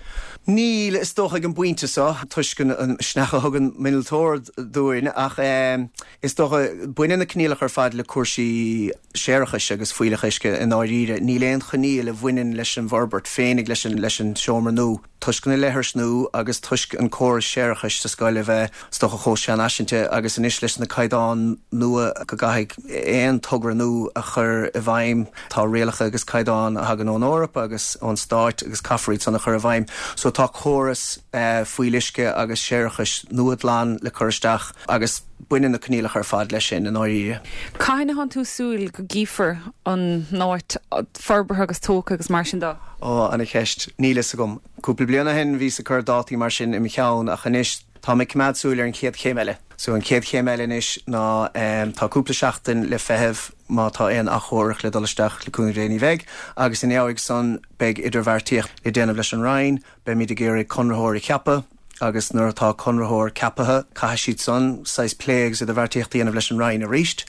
Níl, is dócha ag an bpointe seo, toisc an misneach a thug an innealtóir dúinn, ach is dócha, baineann na coinníollacha ar fad le cúrsaí séarachais agus fuílleach uisce i ndáiríre. Níl aon choinníoll a bhaineann leis an bhforbairt féinig, leis an seomra nua. Toisc na leithris nua agus toisc an córas séarachais sa scoil a bheith, is dócha, chomh seanfhaiseanta agus anois leis na caighdeáin nua go gcaithfidh aon togra nua a chur i bhfeidhm, tá rialacha agus caighdeáin a thagann ón Eoraip agus ón Stáit agus caithfear iad san a chur i bhfeidhm. So tá córas fuíolluisce agus séarachais nua glan le cur isteach agus baineann na coinníollacha ar fad leis sin i ndáiríre. Cathain atánn tú ag súil go gcífear an áit forbartha agus tógtha agus mar sin de? Ó, ana cheist. Níl fhios agam. Cúpla bliain ó shin bhíos ag cur dátaí mar sin i mo cheann ach anois táim ag coimeád súil ar an chéad chéim eile. So an chéad chéim eile anois ná tá cúpla seachtain le feitheamh má tá aon achomharc le dul isteach le cúnamh Dé ní bheidh agus ina dhiaidh san beidh idirbheartaíocht le déanamh leis an Roinn, Beimid ag iarraidh conraitheoir a cheapadh agus nuair atá conraitheoir ceapaithe, caithfidh siad san saghas plé agus idirbheartaíocht a dhéanamh leis an Roinn arís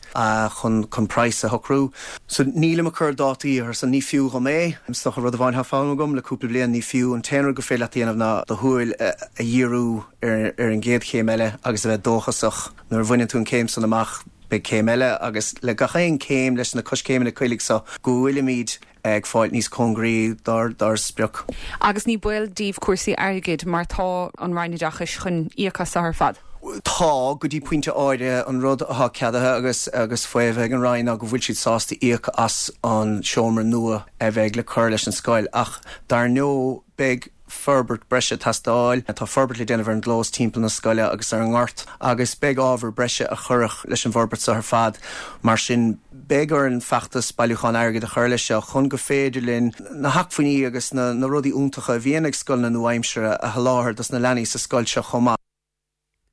chun chun praghas a shocrú. So nílim ag cur dátaí ar san, ní fiú dhom é. Is dócha rud amháin atá foghlamtha agam le cúpla bliain, ní fiú. An t-aon rud gur féidir leat a dhéanamh ná do shúil a dhíriú ar ar an gcéad chéim eile agus a bheith dóchasach. Nuair a bhaineann tú an chéim san amach, beidh céim eile agus le gach aon chéim leis na coiscéimeanna uilig so go bhfuilimid ag fáilt níos cóngaraí dár sprioc. Agus ní baol daoibh cúrsaí airgid mar tá an Roinn Oideachais chun íoc as seo ar fad? Tá, go dtí pointe áirithe. An rud atá ceadaithe agus agus faomhadh ag an Roinn ná go bhfuil siad sásta íoc as an seomra nua a bheidh le cur leis an scoil ach dar ndóigh beidh forbairt breise ag teastáil. Tá forbairt le déanamh ar an gclós timpeall na scoile agus ar an ngort agus beidh ábhar breise a chuirfeadh leis an bhforbairt seo ar fad. Mar sin, beidh orainn feachtas bailiúcháin airgid a chur leis seo chun go féidir linn na hacmhainní agus na rudaí iontacha a bhíonn ag scoileanna nua-aimseartha a sholáthar dos na leanaí sa scoil seo chomh maith.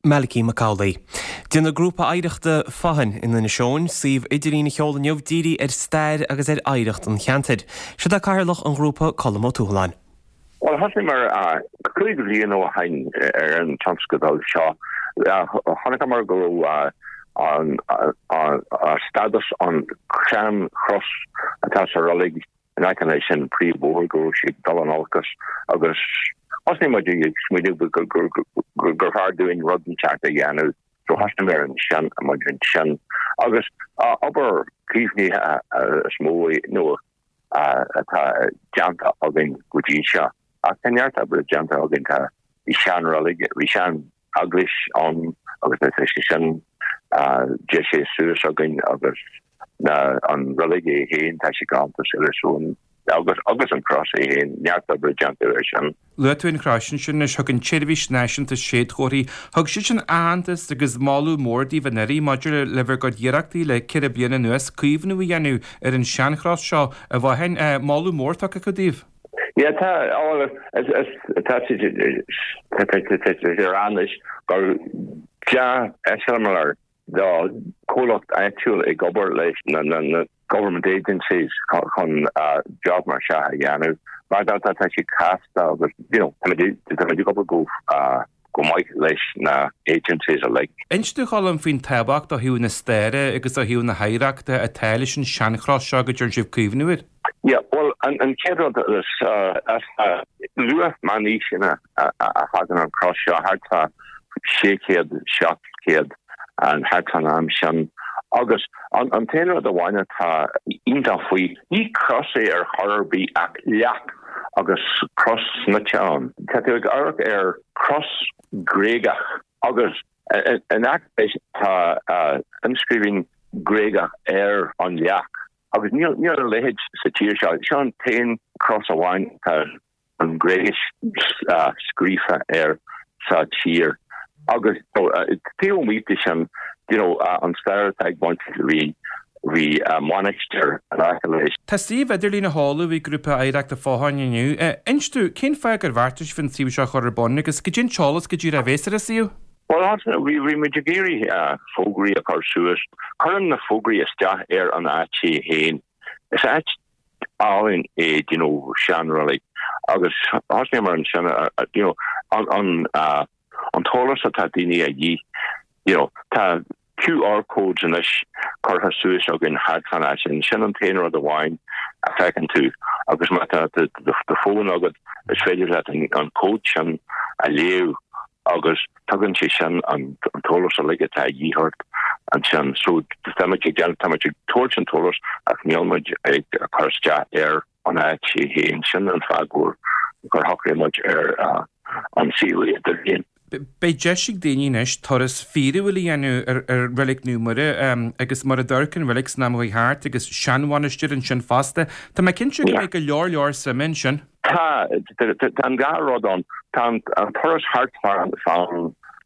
Malachy Mac Amhlaigh. Déanfaidh Grúpa Oidhreachta Fathain in Inis Eoghain suíomh idirlín a sheoladh inniu dírithe ar stair agus ar oidhreacht an cheantair. Siod é Cathaoirleach an ghrúpa, Colm Ó Tuathaláin. Bhuel, thosaíomar 5 bhliain ó shin ar an tionscadal seo. Chonaiceamar go raibh an stádas an tsean-chros atá sa reilig in aice leis an príomhbhóthar go raibh sé ag dul in olcas agus thosnaigh muid ag smaoineamh gur fearr dúinn rud inteacht a dhéanamh. So thosnaíomar ansin muid ansin agus obair caomhnaithe is mó nó atá déanta againn go dtí seo. Ach tá neart oibre déanta againn, tá bhí sean-reilig, bhí sean eaglais ann agus tá sé sin deisithe suas againn agus na an reilig é féin tá sé galánta so agus agus an cros é féin neart oibre déanta air sin. Luaigh tú an chrois ansin anois, thug an tSeirbhís Náisiúnta Séadchomharthaí, thug siad sin aitheantas agus moladh mór daoibh anuraidh maidir le bhur gcuid iarrachtaí le ceithre bliana anuas caomhnú a dhéanamh ar an seanchros seo i bhFathain. Moladh mór tugtha acu daoibh. Yeah, tá, tá sé ar anois gur dea-eiseamláir do chomhlacht áitiúil ag obair leis na government agencies chun job mar seo a dhéanamh. Mar tá tá sé casta agus you know tá muid ag obair go go maith leis na agencies uilig. Inis domh a Choilm faoin tábhacht ó thaobh na staire agus ó thaobh na hoidhreachta atá leis an seanchros seo go dtearn sibh caomhnú air. Yeah, bhuel an chéad rud is as luath meánaoiseanna a thagann an cros seo, thart fá 600, 700 an thart fán am sin. Agus an t-aon rud amháin atá iontach faoi, ní cros é ar chor ar bith ach leac agus cros snoite ann. Tá tú ag amharc ar chros Ghréagach agus in aice leis tá inscríbhinn Ghréagach ar an leac agus níl a leithéid sa tír seo. Seo an t-aon chros amháin atá an Ghréigis scríofa air sa tír. Agus taobh amuigh de sin, you know, an stair atá ag baint bhí bhí mainistir in aice leis. Tá suíomh idirlín á sheoladh ag Grúpa Oidhreachta Fathain inniu. Inis domh, cén fáth gur bheartaigh sibh an suíomh seo a chur ar bun agus goidé an t-eolas go díreach a bhéas ar an suíomh? Bhuel, bhí muid ag iarraidh fógraí a chur suas. Cuireann na fógraí isteach ar an áit é féin. Is áit álainn é you know seanreilig agus thosnaíomar ansin you know an an an t-eolas atá daoine a dhíth you know tá QR codes anois curtha suas againn thart fán áit sin sin an t-aon rud amháin a feiceann tú agus má tá do fón agat is féidir leat an cód sin a léamh agus tugann sé sin an t-eolas uilig atá a dhíth ort ansin. So tá muid ag déanamh, tá muid ag tabhairt an t-eolas ach níl muid ag cur isteach ar an áit é féin. Sin an fáth gur. gur shocraigh muid ar an suíomh idirlín. Beidh deis ag daoine anois turas fíorúil a dhéanamh ar Reilig Naomh Muire agus mar a d'amharc an reilig san am a chuaigh thart agus seanmhainistir ansin fosta. Tá mé cinnte go mbeidh go leor leor suime ansin. Tá, tá an dá rud ann. Tá an turas thart fán,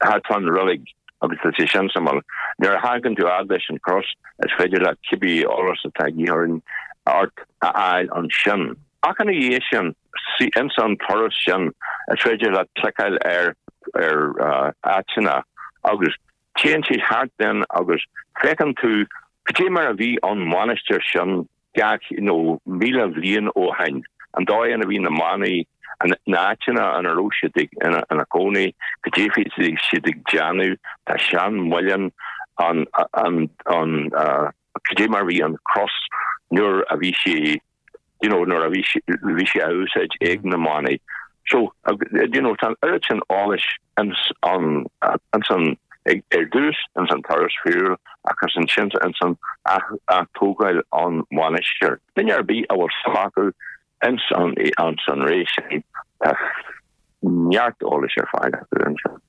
thart fán reilig agus tá sé sin suimiúil. Nuair a thagann tú fhad leis an chros, is féidir leat cibé eolas atá de dhíth ort a fháil ansin. Ach ina dhiaidh sin, ins an turas sin, is féidir leat cliceáil ar ar áiteanna agus téann siad thart then agus feiceann tú cad é mar a bhí an mhainistir sin 200 nó 1,000 bhliain ó shin, an dóigh ina bhí na manaigh, na áiteanna ina raibh siad ina gcónaí, cad é a bhí siad ag déanamh, tá seanmhuileann an, an, an, cad é mar a bhí an cros nuair a bhí sé you know, nuair a bhí bhí sé á úsáid ag na manaigh. So, you know, tá an oiread sin eolais ins an, ins an, ar dtús ins an turas fíorúil agus ansin ins an atógáil an mhainistir. Duine ar bith a bhfuil suim acu ins an, ins an ré sin, tá neart eolais ar fáil acu ansin.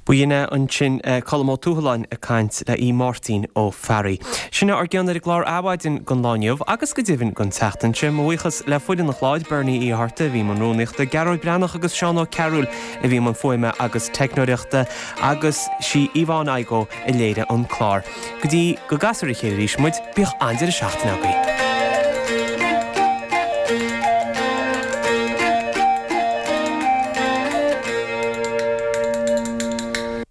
B'in é ansin Colm Ó Tuathaláin ag caint le Aodh Máirtín Ó Fearraigh. Sin é ár gcion ar an gclár Adhmhaidin don lá inniu agus go deimhin don tseachtain seo. Mo bhuíochas le foireann an chláir, Bernie Uí Fhátharta a bhí i mbun rúnaíochta, Gearóid Breathnach agus Seán Ó Cearúil a bhí i mbun fuaime agus teicneoireachta agus sí Yvonne Igoe a léirigh an clár. Go dtí go gcasfar ar a chéile arís muid, bíodh an-deireadh seachtaine agaibh.